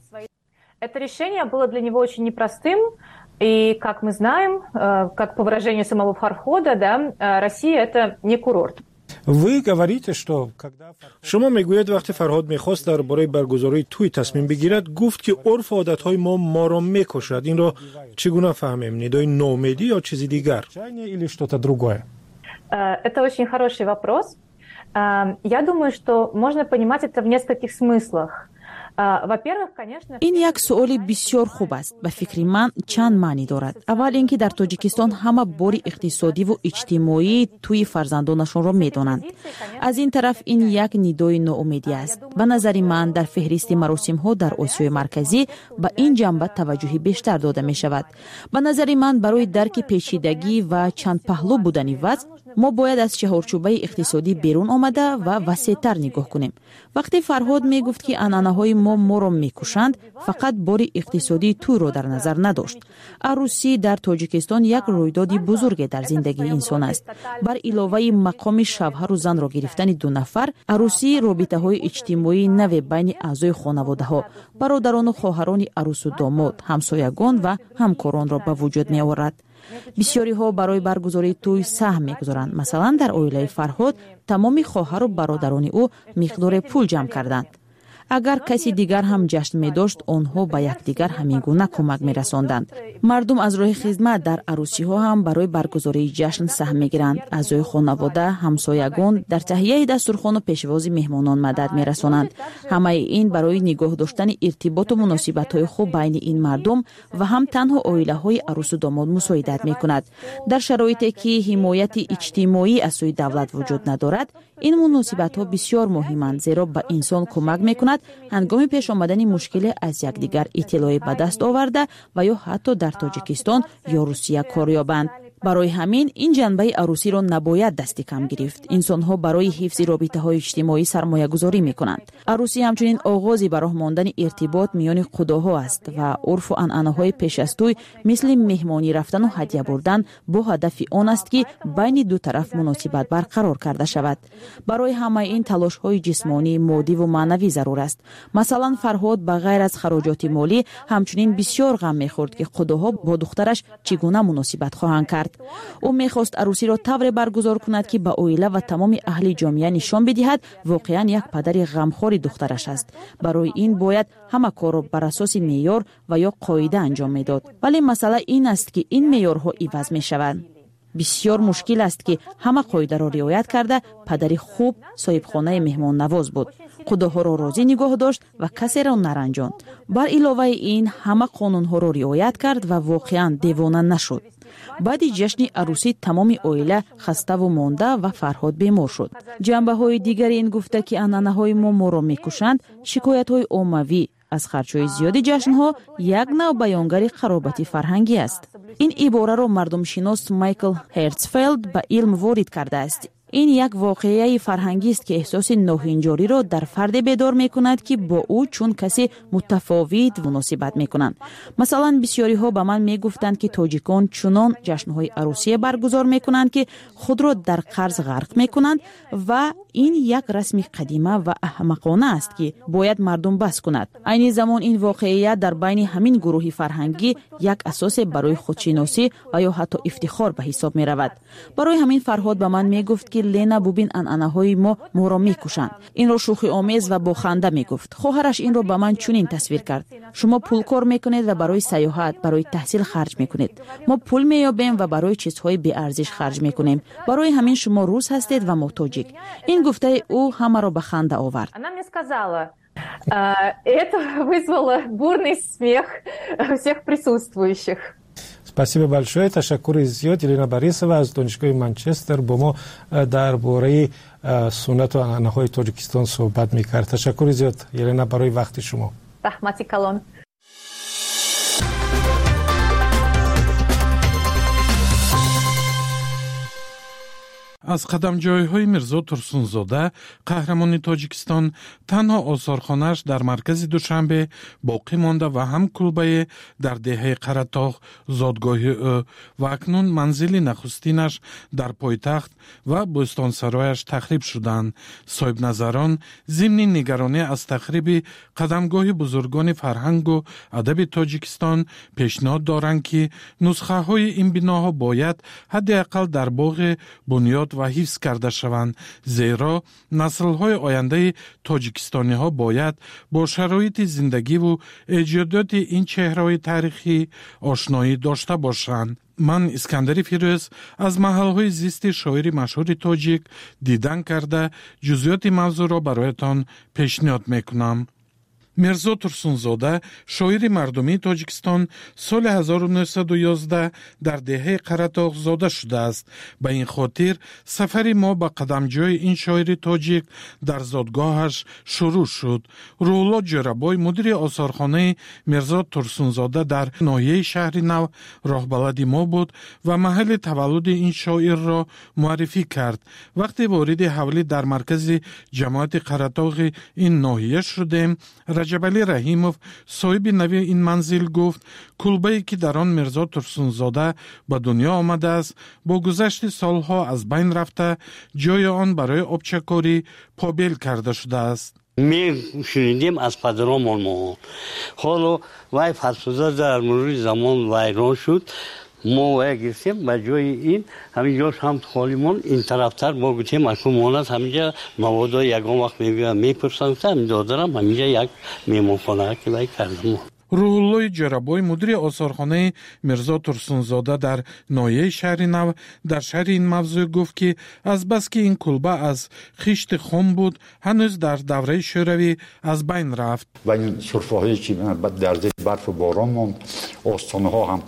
[SPEAKER 20] Это решение было для него очень непростым. И, как мы знаем, как по выражению самого Фархода, да, Россия – это не курорт.
[SPEAKER 5] Вы говорите, что когда шумо мегӯед, вақте Фарҳод мехост дар бораи баргузории тӯй тасмим бигирад, гуфт, ки урфу одатҳои мо моро мекушад. Инро чӣ гуна фаҳмем? Нидои ноумедӣ ё чизи дигар? Или что-то другое?
[SPEAKER 20] Это очень хороший вопрос. Я думаю, что можно понимать это в нескольких смыслах.
[SPEAKER 10] Ин як суоли бисёр хуб аст. Ба фикри ман, чанд маънӣ дорад. Аввал ин ки дар Тоҷикистон ҳама бори иқтисодиву иҷтимоии тӯи фарзандонашонро медонанд. Аз ин тараф, ин як нидои ноумедӣ аст. Ба назари ман, дар феҳристи маросимҳо дар Осиёи Марказӣ ба ин ҷанба таваҷҷӯҳи бештар дода мешавад. Ба назари ман, барои дарки печидагӣ ва чандпаҳлӯ будани вазъ мо бояд аз чаҳорчӯбаи иқтисодӣ берун омада ва васеътар нигоҳ кунем. Вақте Фарҳод мегуфт, ки анъанаҳои мо моро мекушанд, фақат бори иқтисодии тӯйро дар назар надошт. Арӯсӣ дар Тоҷикистон як рӯйдоди бузурге дар зиндагии инсон аст. Бар иловаи мақоми шавҳару занро гирифтани ду нафар, арӯсӣ робитаҳои иҷтимоии наве байни аъзои хонаводаҳо, бародарону хоҳарони арӯсу домод, ҳамсоягон ва ҳамкоронро ба вуҷуд меорад. Бисёриҳо барои баргузории тӯй саҳм мегузоранд. Масалан, дар оилаи Фарҳод тамоми хоҳару бародарони ӯ миқдоре пул ҷамъ карданд. Агар каси дигар ҳам ҷашн медошт, онҳо ба якдигар ҳамин гуна кӯмак мерасонданд. Мардум аз роҳи хизмат дар арӯсиҳо ҳам барои баргузории ҷашн саҳм мегиранд. Аъзои хонавода, ҳамсоягон дар таҳияи дастурхону пешвози меҳмонон мадад мерасонанд. Ҳамаи ин барои нигоҳ доштани иртиботу муносибатҳои хуб байни ин мардум ва ҳам танҳо оилаҳои арӯсу домод мусоидат мекунад. Дар шароите ки ҳимояти иҷтимоӣ аз сӯи давлат вуҷуд надорад, ин муносибатҳо бисёр муҳиманд, зеро ба инсон кӯмак мекунад ҳангоми пеш омадани мушкиле аз якдигар иттилоъе ба даст оварда ва ё ҳатто дар Тоҷикистон ё Русия кор ёбанд. Барои ҳамин ин ҷанбаи арӯсиро набояд дасти кам гирифт. Инсонҳо барои ҳифзи робитаҳои иҷтимоӣ сармоягузорӣ мекунанд. Арӯсӣ ҳамчунин оғози ба роҳ мондани иртибот миёни қудоҳо аст ва урфу анъанаҳои пеш аз тӯй мисли меҳмонӣ рафтану ҳадя бурдан бо ҳадафи он аст, ки байни ду тараф муносибат барқарор карда шавад. Барои ҳамаи ин талошҳои ҷисмонӣ, моддиву маънавӣ зарур аст. Масалан, Фарҳод ба ғайр аз хароҷоти молӣ ҳамчунин бисёр ғам мехӯрд, ки қудоҳо бо духтараш чӣ гуна муносибат хоҳанд кард. Ӯ мехост арӯсиро тавре баргузор кунад, ки ба оила ва тамоми аҳли ҷомеа нишон бидиҳад воқеан як падари ғамхори духтараш аст. Барои ин бояд ҳама корро бар асоси меъёр ва ё қоида анҷом медод. Вале масъала ин аст, ки ин меъёрҳо иваз мешаванд. Бисёр мушкил аст, ки ҳама қоидаро риоят карда падари хуб соҳибхонаи меҳмоннавоз буд, қудоҳоро розӣ нигоҳ дошт ва касеро наранҷонд. Бар иловаи ин ҳама қонунҳоро риоят кард ва воқеан девона нашуд. Баъди ҷашни арӯсӣ тамоми оила хаставу монда ва Фарҳод бемор шуд. Ҷанбаҳои дигари ин гуфта, ки анъанаҳои мо моро мекушанд, шикоятҳои оммавӣ аз харҷҳои зиёди ҷашнҳо як нав баёнгари қаробати фарҳангӣ аст. Ин ибораро мардумшинос Майкл Ҳертсфелд ба илм ворид кардааст. Ин як воқеаи фарҳангист, ки эҳсоси ноҳинҷориро дар фарде бедор мекунад, ки бо ӯ чун касе мутафовит муносибат мекунанд. Масалан, бисёриҳо ба ман мегуфтанд, ки тоҷикон чунон ҷашнҳои арӯсие баргузор мекунанд, ки худро дар қарз ғарқ мекунанд ва ин як расми қадима ва аҳмақона аст, ки бояд мардум бас кунад. Айни замон ин воқеият дар байни ҳамин гурӯҳи фарҳангӣ як асосе барои худшиносӣ ва ё ҳатто ифтихор ба ҳисоб меравад. Барои ҳамин Фарҳод ба ман мегуфт, ки Лена, бубин, анъанаҳои мо моро мекушанд. Инро шӯхиомез ва бо ханда мегуфт. Хоҳараш инро ба ман чунин тасвир кард: шумо пул кор мекунед ва барои сайёҳат, барои таҳсил харҷ мекунед. Мо пул меёбем ва барои чизҳои беарзиш харҷ мекунем. Барои ҳамин шумо рус ҳастед ва мо тоҷик. Ин гуфтаи ӯ ҳамаро ба ханда овард.
[SPEAKER 20] Она мне сказала, это вызвало бурный смех всех присутствующих.
[SPEAKER 5] Спасибо большое. Ташаккури зиёд. Елена Борисова аз донишгоҳи Манчестер бо мо дар бораи суннату анъанаҳои Тоҷикистон суҳбат мекард. Ташаккури зиёд, Елена, барои вақти шумо.
[SPEAKER 20] Раҳмати калон.
[SPEAKER 11] Аз қадамҷойҳои Мирзо Турсунзода, қаҳрамони Тоҷикистон, танҳо осорхонааш дар маркази Душанбе боқӣ монда ва ҳам кулбае дар деҳаи Қаратоғ, зодгоҳи ӯ, ва акнун манзили нахустинаш дар пойтахт ва бӯстонсарояш тахриб шуданд. Соҳибназарон зимни нигаронӣ аз тахриби қадамгоҳи бузургони фарҳангу адаби Тоҷикистон пешниҳод доранд, ки нусхаҳои ин биноҳо бояд ҳадди ақал дар боғи бунёд ва ҳифз карда шаванд, зеро наслҳои ояндаи тоҷикистониҳо бояд бо шароити зиндагиву эҷодиёти ин чеҳраҳои таърихӣ ошноӣ дошта бошанд. Ман Искандари Фирӯз аз маҳалҳои зисти шоири машҳури тоҷик дидан карда ҷузъиёти мавзӯъро бароятон пешниҳод мекунам. Мирзо Турсунзода, шоири мардумии Тоҷикистон, соли ҳазору нӯҳсаду ёздаҳ дар деҳаи Қаратоғ зода шудааст. Ба ин хотир сафари мо ба қадамҷои ин шоири тоҷик дар зодгоҳаш шурӯъ шуд. Рӯҳулло Ҷӯрабой, мудири осорхонаи Мирзо Турсунзода дар ноҳияи Шаҳри Нав, роҳбалади мо буд ва маҳалли таваллуди ин шоирро муаррифӣ кард. Вақте вориди ҳавлӣ дар маркази ҷамоати Қаратоғи ин ноҳия шудем, Раҷабалӣ Раҳимов, соҳиби нави ин манзил, гуфт кулбае ки дар он Мирзо Турсунзода ба дунё омадааст, бо гузашти солҳо аз байн рафта, ҷои он барои обчакорӣ побел карда шудааст.
[SPEAKER 12] Мешунидем аз падаромон мо. Ҳоло вай фарсуда дар мурури замон вайрон шуд. Мо вая гирифтем ба ҷои ин ҳамин ҷош ҳам холӣ монд. Ин тарафтар мо гуфтем акун монад ҳаминҷа маводо ягон вақт мебиёянд мепурсанд, ҳамин додарам ҳаминҷа як меҳмонхона ки вай кардам.
[SPEAKER 11] Рӯҳуллои Ҷӯрабой, мудири осорхонаи Мирзо Турсунзода дар ноҳияи Шаҳри Нав, дар шарҳи ин мавзӯъ гуфт, ки азбаски ин кулба аз хишти хом буд, ҳанӯз дар давраи шӯравӣ аз байн рафт.
[SPEAKER 13] Ва ин сурфаҳое ки дар зери барфу борон монд, остонаҳо ҳам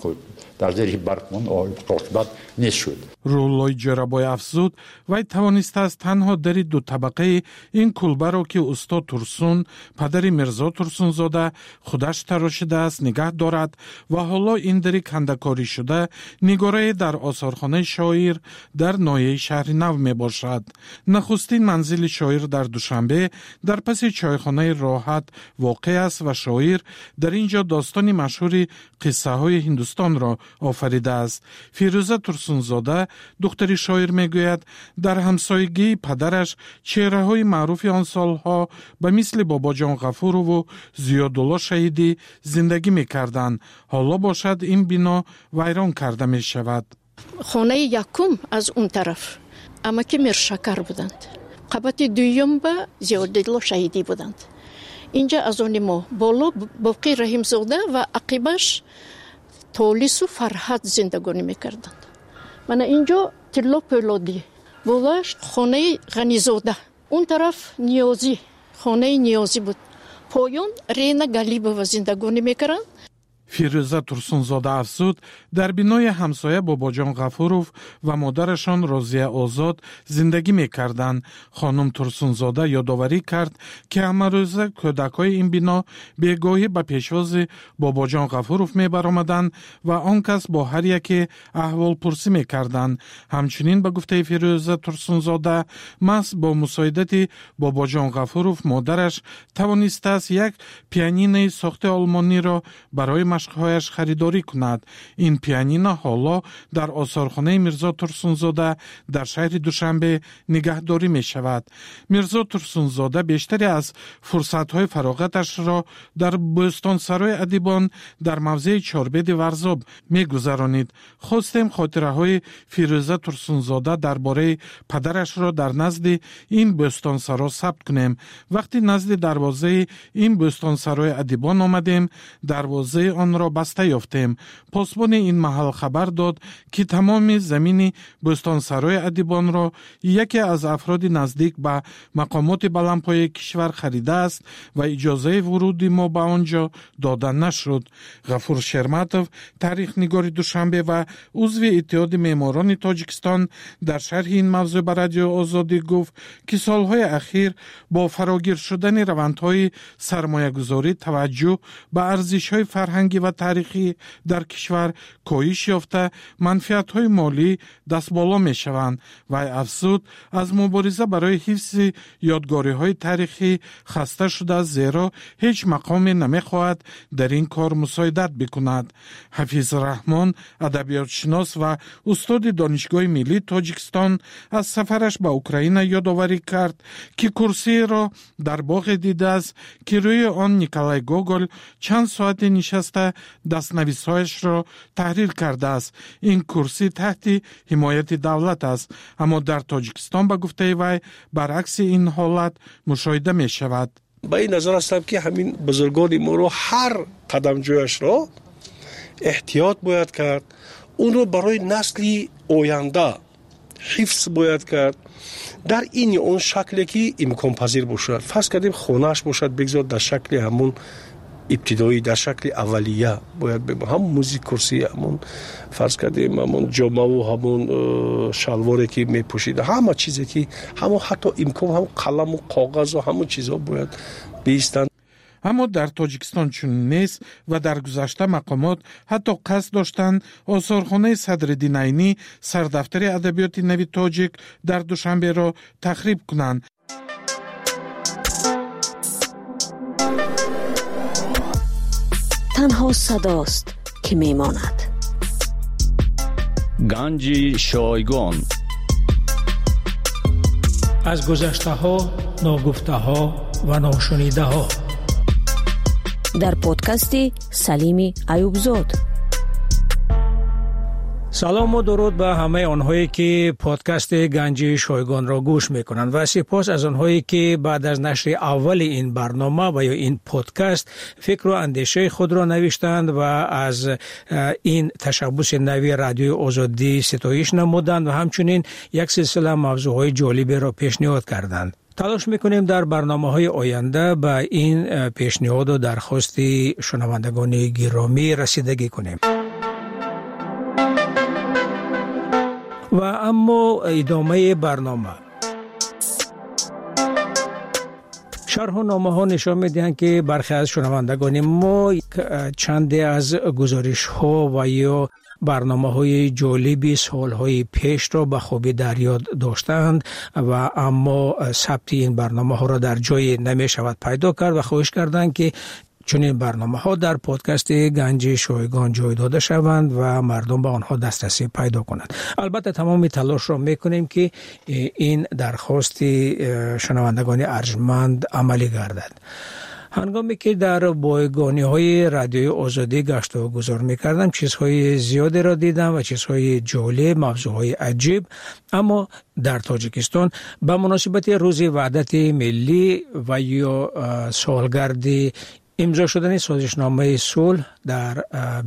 [SPEAKER 13] Дар зери барф монд, оқибат нест шуд.
[SPEAKER 11] Рӯҳуллои Ҷӯрабой афзуд, вай тавонистааст танҳо дари дутабақаи ин кулбаро, ки устод Турсун, падари Мирзо Турсунзода, худаш тарошидааст, нигаҳ дорад ва ҳоло ин дари кандакорӣ шуда нигорае дар осорхонаи шоир дар ноҳияи Шаҳри Нав мебошад. Нахустин манзили шоир дар Душанбе дар паси чойхонаи Роҳат воқеъ аст ва шоир дар ин ҷо достони машҳури Қиссаҳои Ҳиндустонро офаридааст. Фирӯза Турсунзода, духтари шоир, мегӯяд, дар ҳамсоягии падараш чеҳраҳои маъруфи он солҳо ба мисли Бобоҷон Ғафурову Зиёдулло Шаҳидӣ зиндагӣ мекарданд. Ҳоло бошад, ин бино вайрон карда мешавад.
[SPEAKER 4] Хонаи якум аз он тараф амаки Миршакар буданд, қабати дуюм ба Зиёдулло Шаҳидӣ буданд. Инҷа аз они мо боло Боқӣ Раҳимзода ва ақибаш Толису Фарҳад зиндагонӣ мекарданд. Мана инҷо Тилло Пӯлодӣ, болоаш хонаи Ғанизода, он тараф Ниёзӣ, хонаи Ниёзӣ буд, поён Рена Галибова зиндагонӣ мекарданд.
[SPEAKER 11] Фирӯза Турсунзода афзуд, дар бинои ҳамсоя Бобоҷон Ғафуров ва модарашон Розия Озод зиндагӣ мекарданд. Хонум Турсунзода ёдоварӣ кард, ки ҳамарӯза кӯдакҳои ин бино бегоҳӣ ба пешвози Бобоҷон Ғафуров мебаромаданд ва он кас бо ҳар яке аҳволпурсӣ мекарданд. Ҳамчунин, ба гуфтаи Фирӯза Турсунзода, маҳз бо мусоидати Бобоҷон Ғафуров модараш тавонистааст як пианинои сохти олмониро барои машқҳояш харидорӣ кунад. Ин пианино ҳоло дар осорхонаи Мирзо Турсунзода дар шаҳри Душанбе нигаҳдорӣ мешавад. Мирзо Турсунзода бештаре аз фурсатҳои фароғаташро дар бӯстонсарои адибон дар мавзеи Чорбеди Варзоб мегузаронид. Хостем хотираҳои Фирӯза Турсунзода дар бораи падарашро дар назди ин бӯстонсаро сабт кунем. Вақти назди дарвозаи ин бӯстонсарои адибон омадем, дарвозаи онро баста ёфтем. Посбони ин маҳал хабар дод, ки тамоми замини бӯстонсарои адибонро яке аз афроди наздик ба мақомоти баландпояи кишвар харидааст ва иҷозаи вуруди мо ба он ҷо дода нашуд. Ғафур Шерматов, таърихнигори Душанбе ва узви Иттиҳоди меъморони Тоҷикистон, дар шарҳи ин мавзӯъ ба Радиои Озодӣ гуфт, ки солҳои ахир бо фарогир шудани равандҳои сармоягузорӣ таваҷҷӯҳ ба арзишҳои фарҳангӣ ва таърихӣ дар кишвар коҳиш ёфта, манфиатҳои молӣ дастболо мешаванд. Вай афзуд, аз мубориза барои ҳифзи ёдгориҳои таърихӣ хаста шудааст, зеро ҳеҷ мақоме намехоҳад дар ин кор мусоидат бикунад. Ҳафиз Раҳмон, адабиётшинос ва устоди Донишгоҳи миллии Тоҷикистон, аз сафараш ба Украина ёдоварӣ кард, ки курсиеро дар боғе дидааст, ки рӯи он Николай Гоголь чанд соате нишаста дастнависҳояшро таҳрир кардааст. Ин курсӣ таҳти ҳимояти давлат аст, аммо дар Тоҷикистон, ба гуфтаи вай, баръакси ин ҳолат мушоҳида мешавад.
[SPEAKER 14] Ба ин назар ҳастам, ки ҳамин бузургони моро ҳар қадамҷояшро эҳтиёт бояд кард, онро барои насли оянда ҳифз бояд кард дар ин ё он шакле ки имконпазир бошад. Фарз кардем, хонааш бошад, бигзор дар шакли ҳамун ибтидоӣ, дар шакли аввалия бояд, ҳамун музи курсӣ, ҳамун, фарз кардем, ҳамун ҷомаву ҳамун э, шалворе ки мепӯшид, ҳама чизе ки ҳамон, ҳатто имкон, ҳамун қаламу коғазу ҳамун чизҳо бояд биистанд.
[SPEAKER 11] Аммо дар Тоҷикистон чунин нест ва дар гузашта мақомот ҳатто қасд доштанд осорхонаи Садриддин Айнӣ, сардафтари адабиёти нави тоҷик, дар Душанберо тахриб кунанд.
[SPEAKER 6] Танҳо садост, ки мемонад.
[SPEAKER 21] Ганҷи шойгон.
[SPEAKER 22] Аз гузаштаҳо, ногуфтаҳо ва ношунидаҳо.
[SPEAKER 6] Дар подкасти Салими Аюбзод.
[SPEAKER 22] Салому дуруд ба ҳамаи онҳое, ки подкасти Ганҷи шойгонро гӯш мекунанд, ва сипос аз онҳое, ки баъд аз нашри аввали ин барнома ва ё ин подкаст фикру андешаи худро навиштанд ва аз ин ташаббуси нави Радиои Озодӣ ситоиш намуданд ва ҳамчунин як силсила мавзӯъҳои ҷолиберо пешниҳод карданд. Талош мекунем дар барномаҳои оянда ба ин пешниҳоду дархости шунавандагони гиромӣ расидагӣ кунем. Ва аммо идомаи барнома. Шарҳу номаҳо нишон медиҳанд, ки бархе аз шунавандагони мо чанде аз гузоришҳо ва ё барномаҳои ҷолиби солҳои пешро ба хубӣ дар ёд доштаанд ва аммо сабти ин барномаҳоро дар ҷое намешавад пайдо кард ва хоҳиш карданд, ки чунин барномаҳо дар подкасти Ганҷи Шойгон ҷой дода шаванд ва мардум ба онҳо дастрасӣ пайдо кунанд. Албатта тамоми талошро мекунем, ки ин дархости шунавандагони арҷманд амалӣ гардад. Ҳангоме ки дар бойгониҳои Радиои Озодӣ гашту гузор мекардам, чизҳои зиёдеро дидам ва чизҳои ҷолиб, мавзӯъҳои аҷиб. Аммо дар Тоҷикистон ба муносибати Рӯзи Ваҳдати Миллӣ ва ё солгарди имзо шудани созишномаи сулҳ дар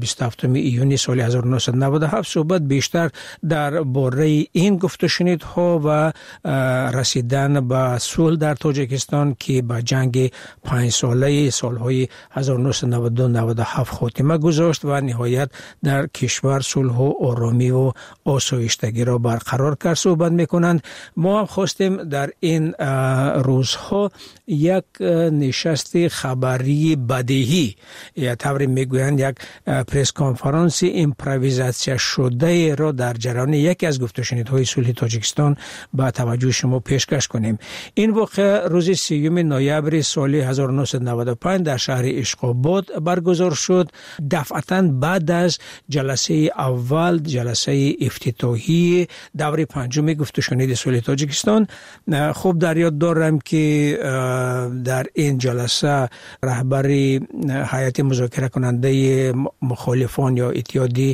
[SPEAKER 22] бисту ҳафтуми июни соли ҳазору нӯҳсаду наваду ҳафт суҳбат бештар дар бораи ин гуфтушунидҳо ва расидан ба сулҳ дар Тоҷикистон, ки ба ҷанги панҷсолаи солҳои ҳазору нӯҳсаду наваду ду наваду ҳафт хотима гузошт ва ниҳоят дар кишвар сулҳу оромиву осоиштагиро барқарор кард, суҳбат мекунанд. Мо ҳам хостем дар ин рӯзҳо як нишасти хабарии бадеҳӣ, ё тавре мегӯянд як пресс-конференси импровизатсия шудаеро дар ҷараёни яке аз гуфтушунидҳои сулҳи Тоҷикистон ба таваҷҷӯҳи шумо пешкаш кунем. Ин воқеа рӯзи сиюми ноябри соли ҳазору нӯҳсаду наваду панҷ дар шаҳри Ишқобод баргузор шуд. Дафъатан баъд аз ҷаласаи аввал, ҷаласаи ифтитоҳии даври панҷуми гуфтушуниди сулҳи Тоҷикистон. Хуб дар ёд дорам, ки дар ин ҷаласа раҳбари ҳайати музокиракунандаи мухолифон ё иттиҳоди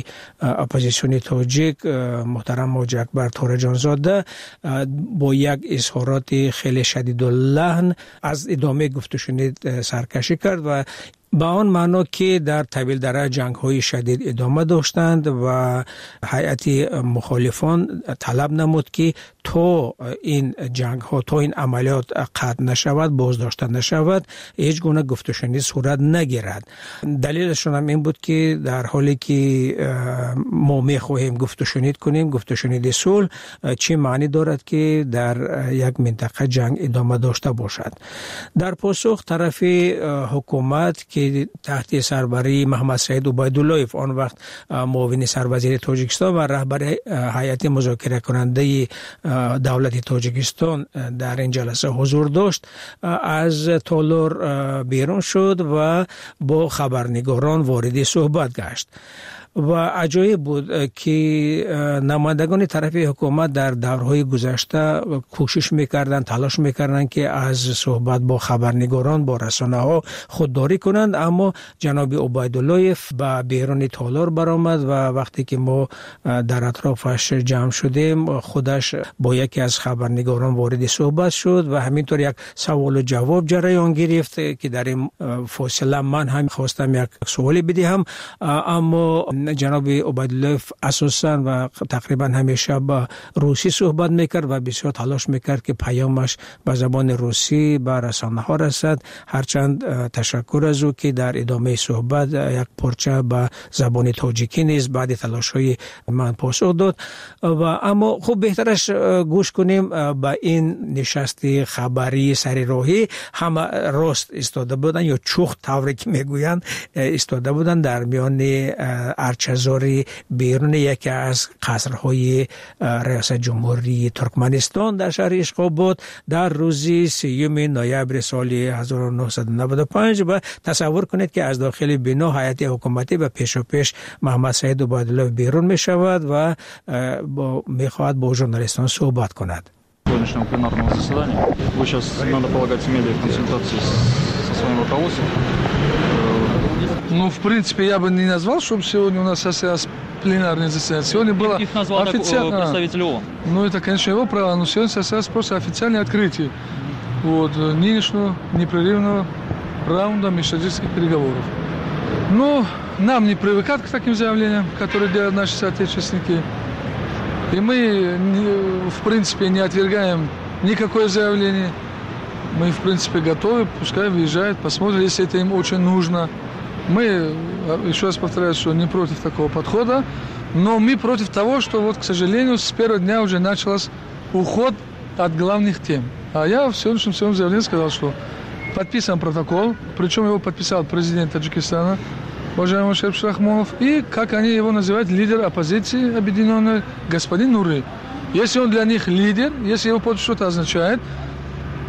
[SPEAKER 22] оппозитсиони тоҷик муҳтарам Ҳоҷи Акбар Тораҷонзода бо як изҳороти хеле шадидуллаҳн аз идомаи гуфтушунид саркашӣ кард ва ба он маъно, ки дар Тавилдара ҷангҳои шадид идома доштанд ва ҳайати мухолифон талаб намуд, ки то ин ҷангҳо, то ин амалиёт қатъ нашавад, боздошта нашавад, ҳеҷ гуна гуфтушунид сурат нагирад. Далелашон ҳам ин буд, ки дар ҳоле ки мо мехоҳем гуфтушунид кунем, гуфтушуниди сулҳ, чӣ маънӣ дорад, ки дар як минтақа ҷанг идома дошта бошад. Дар посух тарафи ҳукумат, ки таҳти сарбарии Муҳаммадсаид Убайдуллоев, он вақт муовини сарвазири Тоҷикистон ва раҳбари ҳайати музокиракунандаи давлати Тоҷикистон дар ин ҷаласа ҳузур дошт, аз толор берун шуд ва бо хабарнигорон вориди суҳбат гашт. Ва аҷоиб буд, ки намояндагони тарафи ҳукумат дар даврҳои гузашта кӯшиш мекарданд, талош мекарданд, ки аз суҳбат бо хабарнигорон, бо расонаҳо худдорӣ кунанд, аммо ҷаноби Убайдуллоев ба беруни толор баромад ва вақте ки мо дар атрофаш ҷамъ шудем, худаш бо яке аз хабарнигорон вориди суҳбат шуд ва ҳаминтавр як саволу ҷавоб ҷараён гирифт, ки дар ин фосила ман ҳам хостам як суоле бидиҳам, аммо ҷаноби Убайдуллоев асосан ва тақрибан ҳамеша ба русӣ суҳбат мекард ва бисёр талош мекард, ки паёмаш ба забони русӣ ба расонаҳо расад. Ҳарчанд ташаккур аз ӯ, ки дар идомаи суҳбат як порча ба забони тоҷикӣ низ баъди талошҳои ман посух дод. Ва аммо хуб беҳтараш гӯш кунем ба ин нишасти хабарии сари роҳӣ. Ҳама рост истода буданд ё чух тавре ки мегӯянд истода буданд дар миёни арчазори беруни яке аз қасрҳои риёсати ҷумҳурии Туркманистон дар шаҳри Ишқобод дар рӯзи сиюми ноябри соли ҳазору нӯҳсаду наваду панҷ. Ва тасаввур кунед, ки аз дохили бино ҳайати ҳукуматӣ ба пешопеш Муҳаммадсаид Убайдуллоев берун мешавад ва мехоҳад бо журналистон суҳбат кунад.
[SPEAKER 7] Сегодняшнего пленарного заседания. Вы сейчас, надо полагать, имели консультации со своим руководством.
[SPEAKER 8] Ну, в принципе, я бы не назвал, чтобы сегодня у нас состоялось пленарное заседание. Сегодня было
[SPEAKER 7] Их назвал
[SPEAKER 8] официально...
[SPEAKER 7] представитель ООН.
[SPEAKER 8] Ну, это, конечно, его право, но сегодня состоялось просто официальное открытие вот, нынешнего непрерывного раунда межправительственных переговоров. Но нам не привыкать к таким заявлениям, которые делают наши соотечественники. И мы, в принципе, не отвергаем никакое заявление. Мы, в принципе, готовы, пускай выезжают, посмотрят, если это им очень нужно. Мы, еще раз повторяю, что не против такого подхода, но мы против того, что, вот, к сожалению, с первого дня уже начался уход от главных тем. А я в сегодняшнем своем заявлении сказал, что подписан протокол, причем его подписал президент Таджикистана, уважаемый Шариф Рахмонов, и, как они его называют, лидер оппозиции объединенной, господин Нури. Если он для них лидер, если его подпись что-то означает,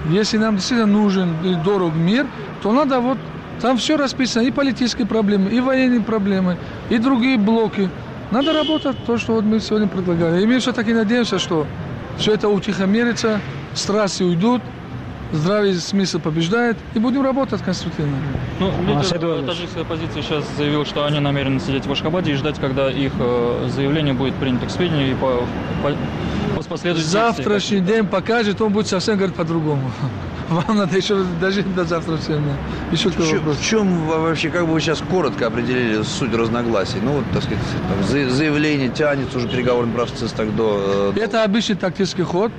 [SPEAKER 8] если нам действительно нужен и дорог мир, то надо вот... Там все расписано, и политические проблемы, и военные проблемы, и другие блоки. Надо работать, то, что вот мы сегодня предлагали. И мы все-таки надеемся, что все это утихомирится, страсти уйдут, здравый смысл побеждает, и будем работать конструктивно.
[SPEAKER 7] Ну, лидер таджикской оппозиции сейчас заявил, что они намерены сидеть в Ашхабаде и ждать, когда их заявление будет принято к сведению и по, по, по последующим.
[SPEAKER 8] Завтрашний день покажет, он будет совсем говорить по-другому. Вам надо еще дожить до завтра всем. Еще
[SPEAKER 3] в, чем, в чем вообще, как бы вы сейчас коротко определили суть разногласий? Ну, вот, так сказать, там, заявление тянется уже переговорный процесс так до...
[SPEAKER 8] Это обычный тактический ход.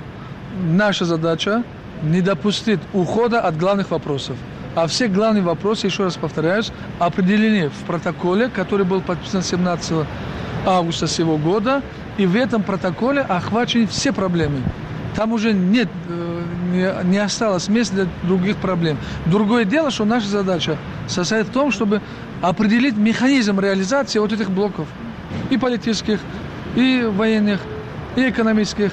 [SPEAKER 8] Наша задача не допустить ухода от главных вопросов. А все главные вопросы, еще раз повторяюсь, определены в протоколе, который был подписан семнадцатого августа сего года. И в этом протоколе охвачены все проблемы. Там уже нет, не, не осталось места для других проблем. Другое дело, что наша задача состоит в том, чтобы определить механизм реализации вот этих блоков. И политических, и военных, и экономических,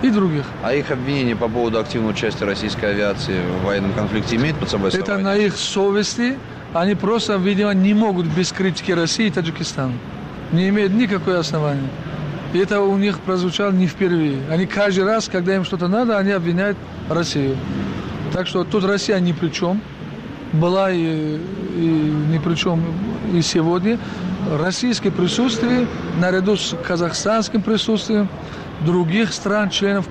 [SPEAKER 8] и других.
[SPEAKER 3] А их обвинения по поводу активного участия российской авиации в военном конфликте имеют под собой основание?
[SPEAKER 8] Это на их совести. Они просто, видимо, не могут без критики России и Таджикистана. Не имеют никакого основания. И это у них прозвучало не впервые. Они каждый раз, когда им что-то надо, они обвиняют Россию. Так что тут Россия ни при чем. Была и, и ни при чем и сегодня. Российское присутствие, наряду с казахстанским присутствием других стран, членов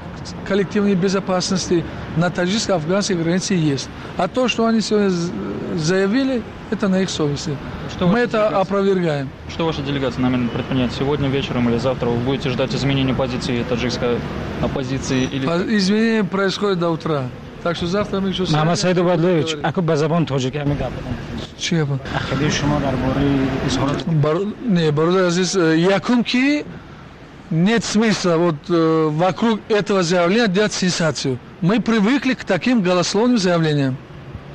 [SPEAKER 8] коллективной безопасности на таджикско-афганской границе есть. А то, что они сегодня заявили, это на их совести. Что Мы это опровергаем.
[SPEAKER 7] Что ваша делегация намерена предпринять сегодня вечером или завтра? Вы будете ждать изменения позиции таджикской оппозиции? Или...
[SPEAKER 8] Изменения происходят до утра. Так что завтра мы еще...
[SPEAKER 9] Мамад Саид Убайдуллоевич, аку ба забон тоҷикӣ ҳамин гап бизанед.
[SPEAKER 8] Чӣ гап?
[SPEAKER 9] Ақидаи шумо дар бораи изҳорот...
[SPEAKER 8] Бар... Не, бародар азиз, якум ки нет смысла вот э, вокруг этого заявления делать сенсацию. Мы привыкли к таким голословным заявлениям.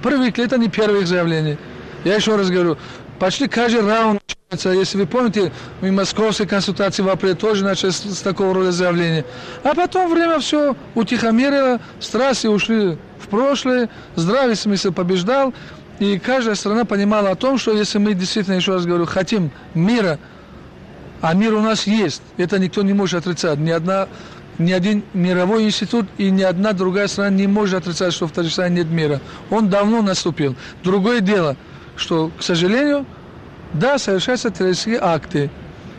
[SPEAKER 8] Привыкли, это не первое их заявление. Я еще раз говорю, почти каждый раунд начинается. Если вы помните, мы московские консультации в апреле тоже начали с, с такого рода заявления. А потом время все утихомирило, страсти ушли в прошлое, здравый смысл побеждал. И каждая страна понимала о том, что если мы действительно, еще раз говорю, хотим мира, а мир у нас есть, это никто не может отрицать. Ни одна, ни один мировой институт и ни одна другая страна не может отрицать, что в Таджикистане нет мира. Он давно наступил. Другое дело, что, к сожалению, да, совершаются террористические акты.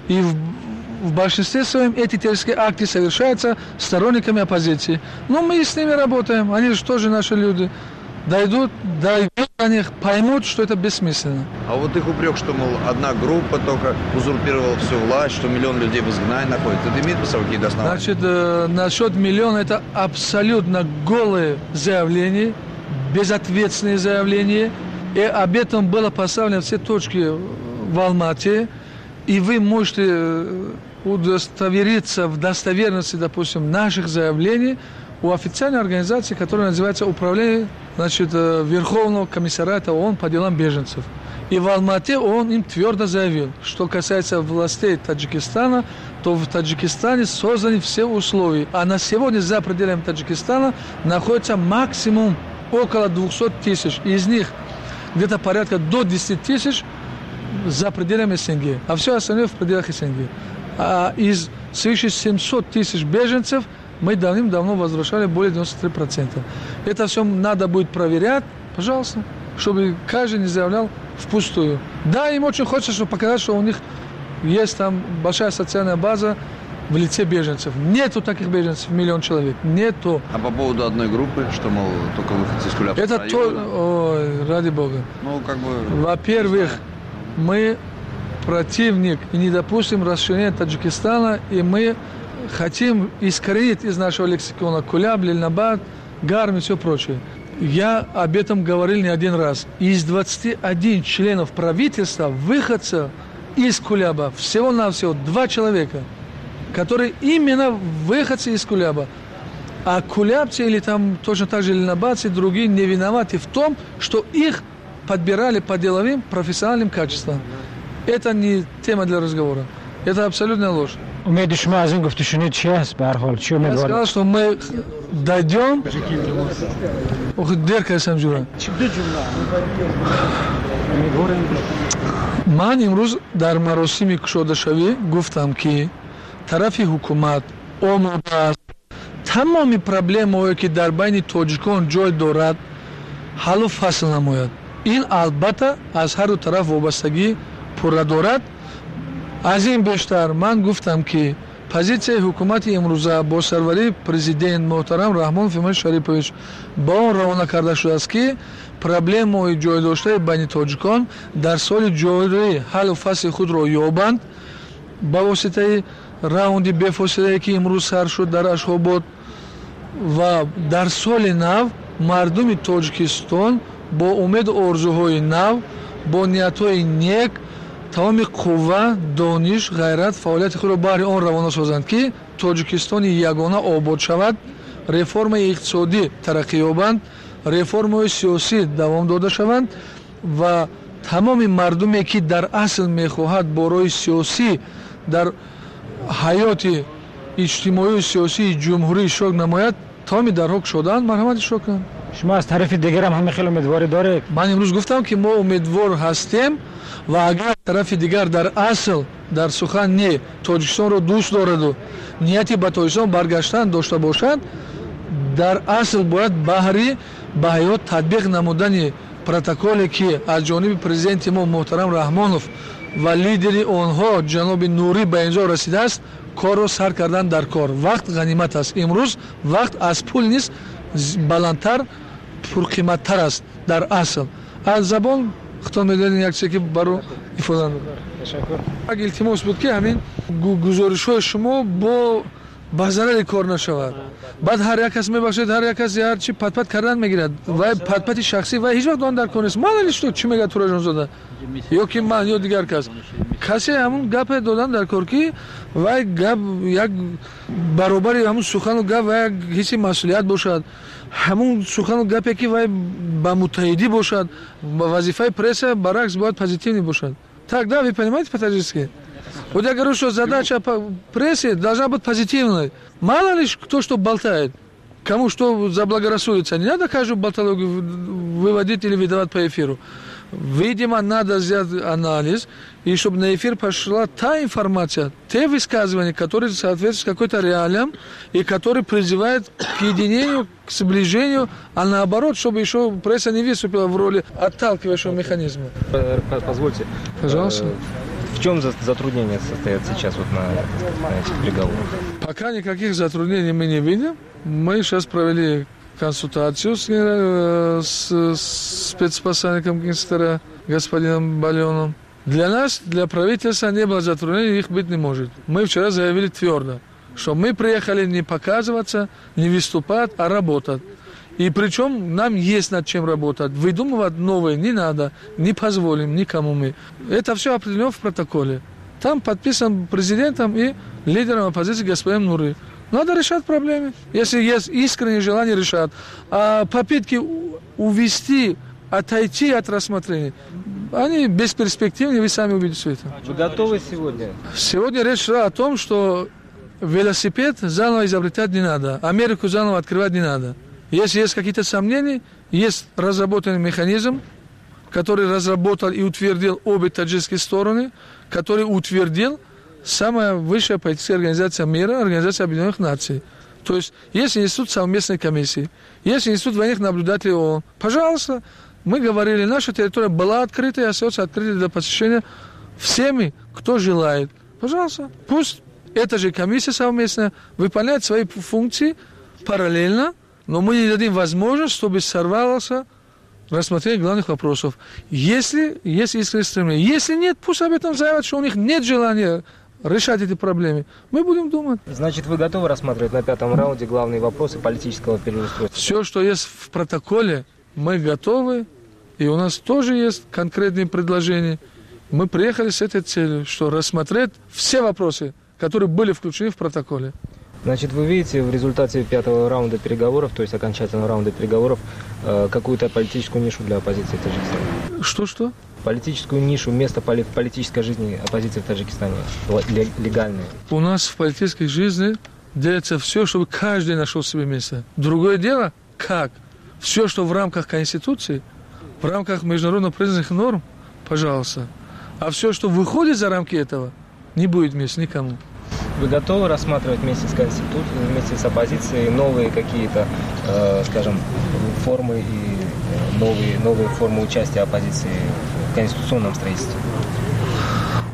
[SPEAKER 8] И в, в большинстве своем эти террористические акты совершаются сторонниками оппозиции. Но мы с ними работаем, они же тоже наши люди. Дойдут, дойдут до них, поймут, что это бессмысленно.
[SPEAKER 3] А вот их упрек, что, мол, одна группа только узурпировала всю власть, что миллион людей в изгнании находится, это имеет под собой какие-то основания?
[SPEAKER 8] Значит, э, насчет миллиона это абсолютно голые заявления, безответственные заявления. И об этом было поставлено все точки в Алмате. И вы можете удостовериться в достоверности, допустим, наших заявлений у официальной организации, которая называется Управление, значит, Верховного комиссариата ООН по делам беженцев. И в Алмате он им твердо заявил, что касается властей Таджикистана, то в Таджикистане созданы все условия. А на сегодня за пределами Таджикистана находится максимум около двухсот тысяч. Из них где-то порядка до десяти тысяч за пределами СНГ, а все остальное в пределах СНГ. А из свыше семисот тысяч беженцев мы давным-давно возвращали более девяносто три процента. Это все надо будет проверять, пожалуйста, чтобы каждый не заявлял впустую. Да, им очень хочется, чтобы показать, что у них есть там большая социальная база в лице беженцев. Нету таких беженцев, миллион человек. Нету.
[SPEAKER 3] А по поводу одной группы, что, мол, только выходцы из Кулябского
[SPEAKER 8] Это
[SPEAKER 3] района?
[SPEAKER 8] То... Ой, ради бога.
[SPEAKER 3] Ну, как бы...
[SPEAKER 8] Во-первых, мы противник и не допустим расширения Таджикистана, и мы хотим искоренить из нашего лексикона Куляб, Лельнабад, Гарм и все прочее. Я об этом говорил не один раз. Из двадцати одного членов правительства, выходцев из Куляба, всего-навсего два человека, которые именно выходцы из Куляба. А кулябцы или там точно так же ленабадцы, другие не виноваты в том, что их подбирали по деловым профессиональным качествам. Это не тема для разговора. Это абсолютная ложь.
[SPEAKER 9] Умеди шумо аз ин гуфтушунид чи аст? Ба ҳар ҳол, чӣ
[SPEAKER 8] Я
[SPEAKER 9] умедворед?
[SPEAKER 8] сказал, что мы дойдем. Ох, дер кардам ҷура. Ман имрӯз дар маросими кушодашавӣ гуфтам, ки тарафи ҳукумат омода аст тамоми проблемаҳое, ки дар байни тоҷикон ҷой дорад, ҳаллу фасл намояд. Ин албатта аз ҳарду тараф вобастагӣ пурра дорад. Аз ин бештар ман гуфтам, ки позитсияи ҳукумати имрӯза бо сарварии президент муҳтарам Раҳмонов Эмомалӣ Шарипович ба он равона карда шудааст, ки проблемаҳои ҷойдоштаи байни тоҷикон дар соли ҷорӣ ҳаллу фасли худро ёбанд ба воситаи раунди бефосилае, ки имрӯз сар шуд дар Ашхобод, ва дар соли нав мардуми Тоҷикистон бо умеду орзуҳои нав, бо ниятҳои нек тамоми қувва, дониш, ғайрат, фаъолияти худро баҳри он равона созанд, ки Тоҷикистони ягона обод шавад, реформаи иқтисодӣ тараққӣ ёбанд, реформаҳои сиёсӣ давом дода шаванд ва тамоми мардуме, ки дар асл мехоҳад бо роҳи сиёсӣ дар ҳаёти иҷтимоию сиёсии ҷумҳурӣ иштирок намояд, тамоми дарҳо кушодаанд, марҳамат иштирок кунанд.
[SPEAKER 9] Шумо аз тарафи дигарам ҳама хеле умедворӣ доред?
[SPEAKER 8] Ман имрӯз гуфтам, ки мо умедвор ҳастем ва агар тарафи дигар дар асл дар сухан не Тоҷикистонро дӯст дораду нияти ба Тоҷикистон баргаштан дошта бошад, дар асл бояд баҳри ба ҳаёт татбиқ намудани протоколе, ки аз ҷониби президенти мо муҳтарам Раҳмонов ва лидери онҳо ҷаноби Нурӣ ба имзо расидааст, корро сар кардан дар кор. Вақт ғанимат аст. Имрӯз вақт аз пул низ баландтар, пурқиматтар аст дар асл. Аз забон худтон медонед як чизе, ки баро ифода намекунад. Як илтимос буд, ки ҳамин гузоришҳои шумо бо ба зарари кор нашавад. Баъд ҳар як кас, мебахшед, ҳар як кас ҳар чи патпат кардан мегирад. Вай патпати шахсӣ вай ҳеҷ вақт он дар кор нест. Ман что чӣ мегӯяд Тураҷонзода ё ки ман ё дигар кас. Касе ҳамун гапе додан дар кор, ки вай гап як баробари ҳамун сухану гап вай як ҳисси масъулият бошад, ҳамун сухану гапе, ки вай ба муттаҳидӣ бошад. Вазифаи пресса баръакс бояд позитивный бошад. Так, да, вы понимаете по-таджикски? Вот я говорю, что задача прессы должна быть позитивной. Мало ли кто что болтает, кому что заблагорассудится. Не надо каждую болтологию выводить или выдавать по эфиру. Видимо, надо сделать анализ, и чтобы на эфир пошла та информация, те высказывания, которые соответствуют какой-то реалиям и которые призывают к единению, к сближению, а наоборот, чтобы еще пресса не выступила в роли отталкивающего механизма.
[SPEAKER 1] Позвольте.
[SPEAKER 8] Пожалуйста.
[SPEAKER 1] В чем затруднения состоят сейчас вот на, на этих переговорах?
[SPEAKER 8] Пока никаких затруднений мы не видим. Мы сейчас провели консультацию с, с, с спецпосланником Генсектора господином Баленом. Для нас, для правительства не было затруднений, их быть не может. Мы вчера заявили твердо, что мы приехали не показываться, не выступать, а работать. И причем нам есть над чем работать. Выдумывать новое не надо, не позволим никому мы. Это все определено в протоколе. Там подписан президентом и лидером оппозиции господином Нури. Надо решать проблемы, если есть искреннее желание решать. А попытки увести, отойти от рассмотрения, они бесперспективны, вы сами увидите все это.
[SPEAKER 1] Вы готовы сегодня?
[SPEAKER 8] Сегодня речь шла о том, что велосипед заново изобретать не надо, Америку заново открывать не надо. Если есть какие-то сомнения, есть разработанный механизм, который разработал и утвердил обе таджикские стороны, который утвердил самая высшая политическая организация мира, Организация Объединенных Наций. То есть есть институт совместной комиссии, есть институт военных наблюдателей ООН. Пожалуйста, мы говорили, наша территория была открыта и остается открытой для посещения всеми, кто желает. Пожалуйста, пусть эта же комиссия совместная выполняет свои функции параллельно, но мы не дадим возможность, чтобы сорвалось рассмотрение главных вопросов. Если есть искреннее стремление. Если нет, пусть об этом заявят, что у них нет желания решать эти проблемы, мы будем думать.
[SPEAKER 1] Значит, вы готовы рассматривать на пятом раунде главные вопросы политического переустройства?
[SPEAKER 8] Все, что есть в протоколе, мы готовы, и у нас тоже есть конкретные предложения. Мы приехали с этой целью, что рассмотреть все вопросы, которые были включены в протоколе.
[SPEAKER 1] Значит, вы видите в результате пятого раунда переговоров, то есть окончательного раунда переговоров, какую-то политическую нишу для оппозиции в Таджикистане?
[SPEAKER 8] Что-что?
[SPEAKER 1] Политическую нишу, место в политической жизни оппозиции в Таджикистане, легальное.
[SPEAKER 8] У нас в политической жизни делается все, чтобы каждый нашел себе место. Другое дело, как? Все, что в рамках Конституции, в рамках международно признанных норм, пожалуйста. А все, что выходит за рамки этого, не будет места никому.
[SPEAKER 1] Вы готовы рассматривать вместе с Конституцией, вместе с оппозицией новые какие-то, э, скажем, формы и новые, новые формы участия оппозиции в конституционном строительстве?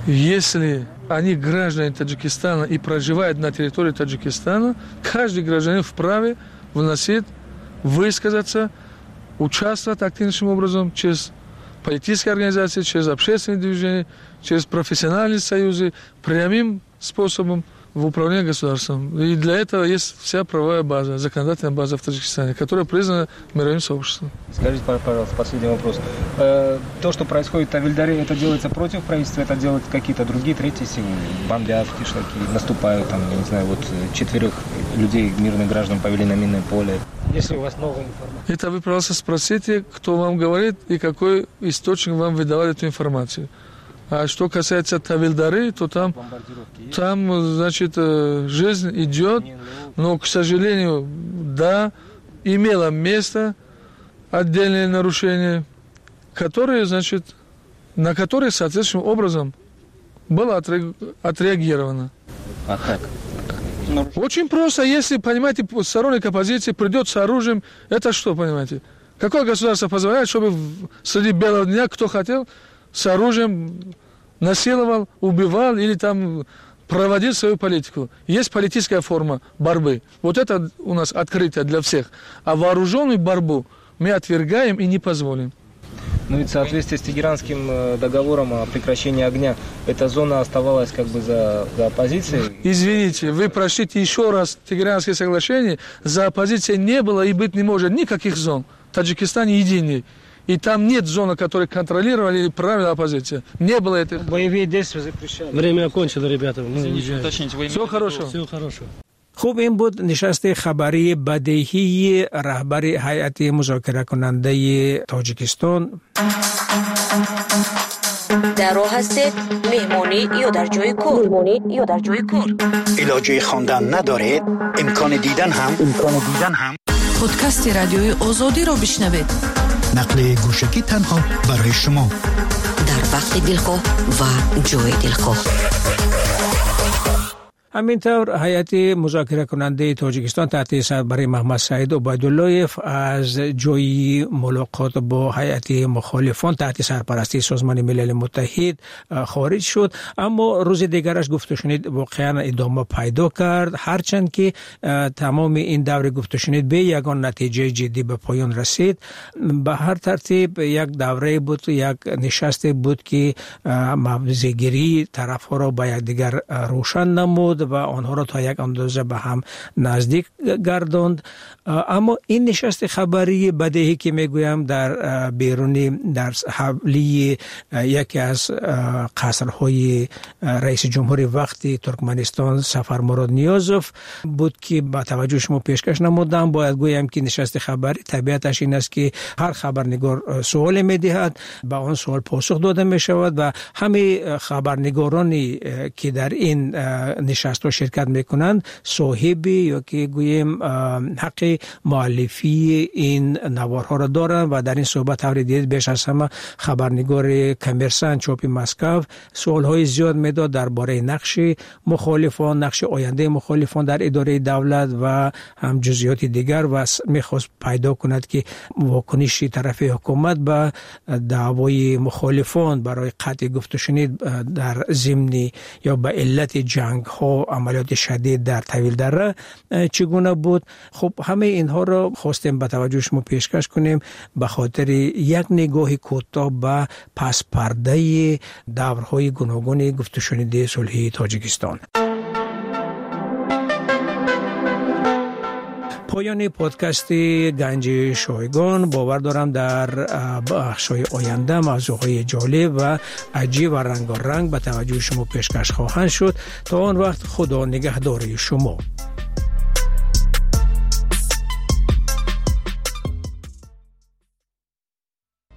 [SPEAKER 8] Если они граждане Таджикистана и проживают на территории Таджикистана, каждый гражданин вправе вносить, высказаться, участвовать активнейшим образом через политические организации, через общественные движения, через профессиональные союзы, прямым способом в управлении государством. И для этого есть вся правовая база, законодательная база в Таджикистане, которая признана мировым сообществом.
[SPEAKER 1] Скажите, пожалуйста, последний вопрос. То, что происходит в Тавильдаре, это делается против правительства, это делают какие-то другие, третьи силы? Бомбят кишлаки, наступают, там, я не знаю, вот четверых людей, мирных граждан повели на минное поле.
[SPEAKER 9] Если у вас новая информация.
[SPEAKER 8] Это вы, пожалуйста, спросите, кто вам говорит и какой источник вам выдавал эту информацию. А что касается Тавильдары, то там, там, значит, жизнь идет, но, к сожалению, да, имело место отдельные нарушения, которые, значит, на которые соответствующим образом было отреагировано.
[SPEAKER 1] А как?
[SPEAKER 8] Очень просто, если, понимаете, сторонник оппозиции придет с оружием, это что, понимаете? Какое государство позволяет, чтобы среди белого дня кто хотел с оружием насиловал, убивал или там проводил свою политику? Есть политическая форма борьбы. Вот это у нас открытие для всех. А вооруженную борьбу мы отвергаем и не позволим.
[SPEAKER 1] Ну и в соответствии с Тегеранским договором о прекращении огня, эта зона оставалась как бы за, за оппозицией?
[SPEAKER 8] Извините, вы прочтите еще раз Тегеранское соглашение. За оппозицией не было и быть не может никаких зон. В Таджикистане единый. И там нет зоны, которые контролировали или правила оппозиция. Не было этого.
[SPEAKER 9] Боевые действия запрещали.
[SPEAKER 2] Время окончено, ребята. Мы уезжаем.
[SPEAKER 8] Всего хорошего.
[SPEAKER 2] Всего хорошего.
[SPEAKER 22] خب این بود نشست خبری بدیهی رهبر هیئت مذاکره کننده تاجیکستان.
[SPEAKER 6] در راه هستید، مهمانی یا در جای کار، مهمانی یا در جای کار.
[SPEAKER 15] علاجه خواندن ندارید، امکان دیدن هم امکان دیدن هم.
[SPEAKER 23] پادکست رادیوی آزادی را بشنوید.
[SPEAKER 15] نقل گوشکی تنها برای شما
[SPEAKER 23] در وقت دلخواه و جای دلخواه.
[SPEAKER 22] همینطور هیئت مذاکره کننده تاجیکستان تحت سربری محمد سعید عبیدالله‌اف از جای ملاقات با هیئت مخالفان تحت سرپرستی سازمان ملل متحد خارج شد، اما روز دیگرش گفت و شنید واقعا ادامه پیدا کرد، هرچند که تمام این دور گفت و شنید به یگان نتیجه جدی به پایان رسید. به هر ترتیب یک دوره بود، یک نشست بود که موضع‌گیری طرف‌ها را با یکدیگر روشن نمود و آنها را تا یک اندازه به هم نزدیک گرداند. اما این نشست خبری بدیهی که میگویم در بیرونی در حولی یکی از قصرهای رئیس جمهور وقت ترکمنستان سفر مراد نیازوف بود که با توجه شما پیشکش نمودم. باید گویم که نشست خبری طبیعتش این است که هر خبرنگار سوال میدهد، به آن سوال پاسخ داده میشود و همه خبرنگارانی که در این نشست ها شرکت میکنند صاحب یا که گوییم حق مؤلفی این نوارها را دارند و در این صحبت طور دید بیش از همه خبرنگار کامرسان چاپ مسکو سوال های زیاد میداد درباره نقش مخالفان، نقش آینده مخالفان در اداره دولت و هم جزئیات دیگر و میخواست پیدا کند که واکنش طرف حکومت به دعوای مخالفان برای قطع گفت و شنید در ضمن یا به علت جنگ ها амалиёти шадид дар Тавилдара чӣ гуна буд. Хуб, ҳамаи инҳоро хостем ба таваҷҷӯҳи шумо пешкаш кунем ба хотири як нигоҳи кӯтоҳ ба паспардаи даврҳои гуногуни гуфтушуниди сулҳи Тоҷикистон. Поёни подкасти Ганҷи Шойгон. Бовар дорам дар бахшҳои оянда мавзӯъҳои ҷолиб ва аҷиб ва рангоранг ба таваҷҷӯҳи шумо пешкаш хоҳанд шуд. То он вақт Худо нигаҳдори шумо.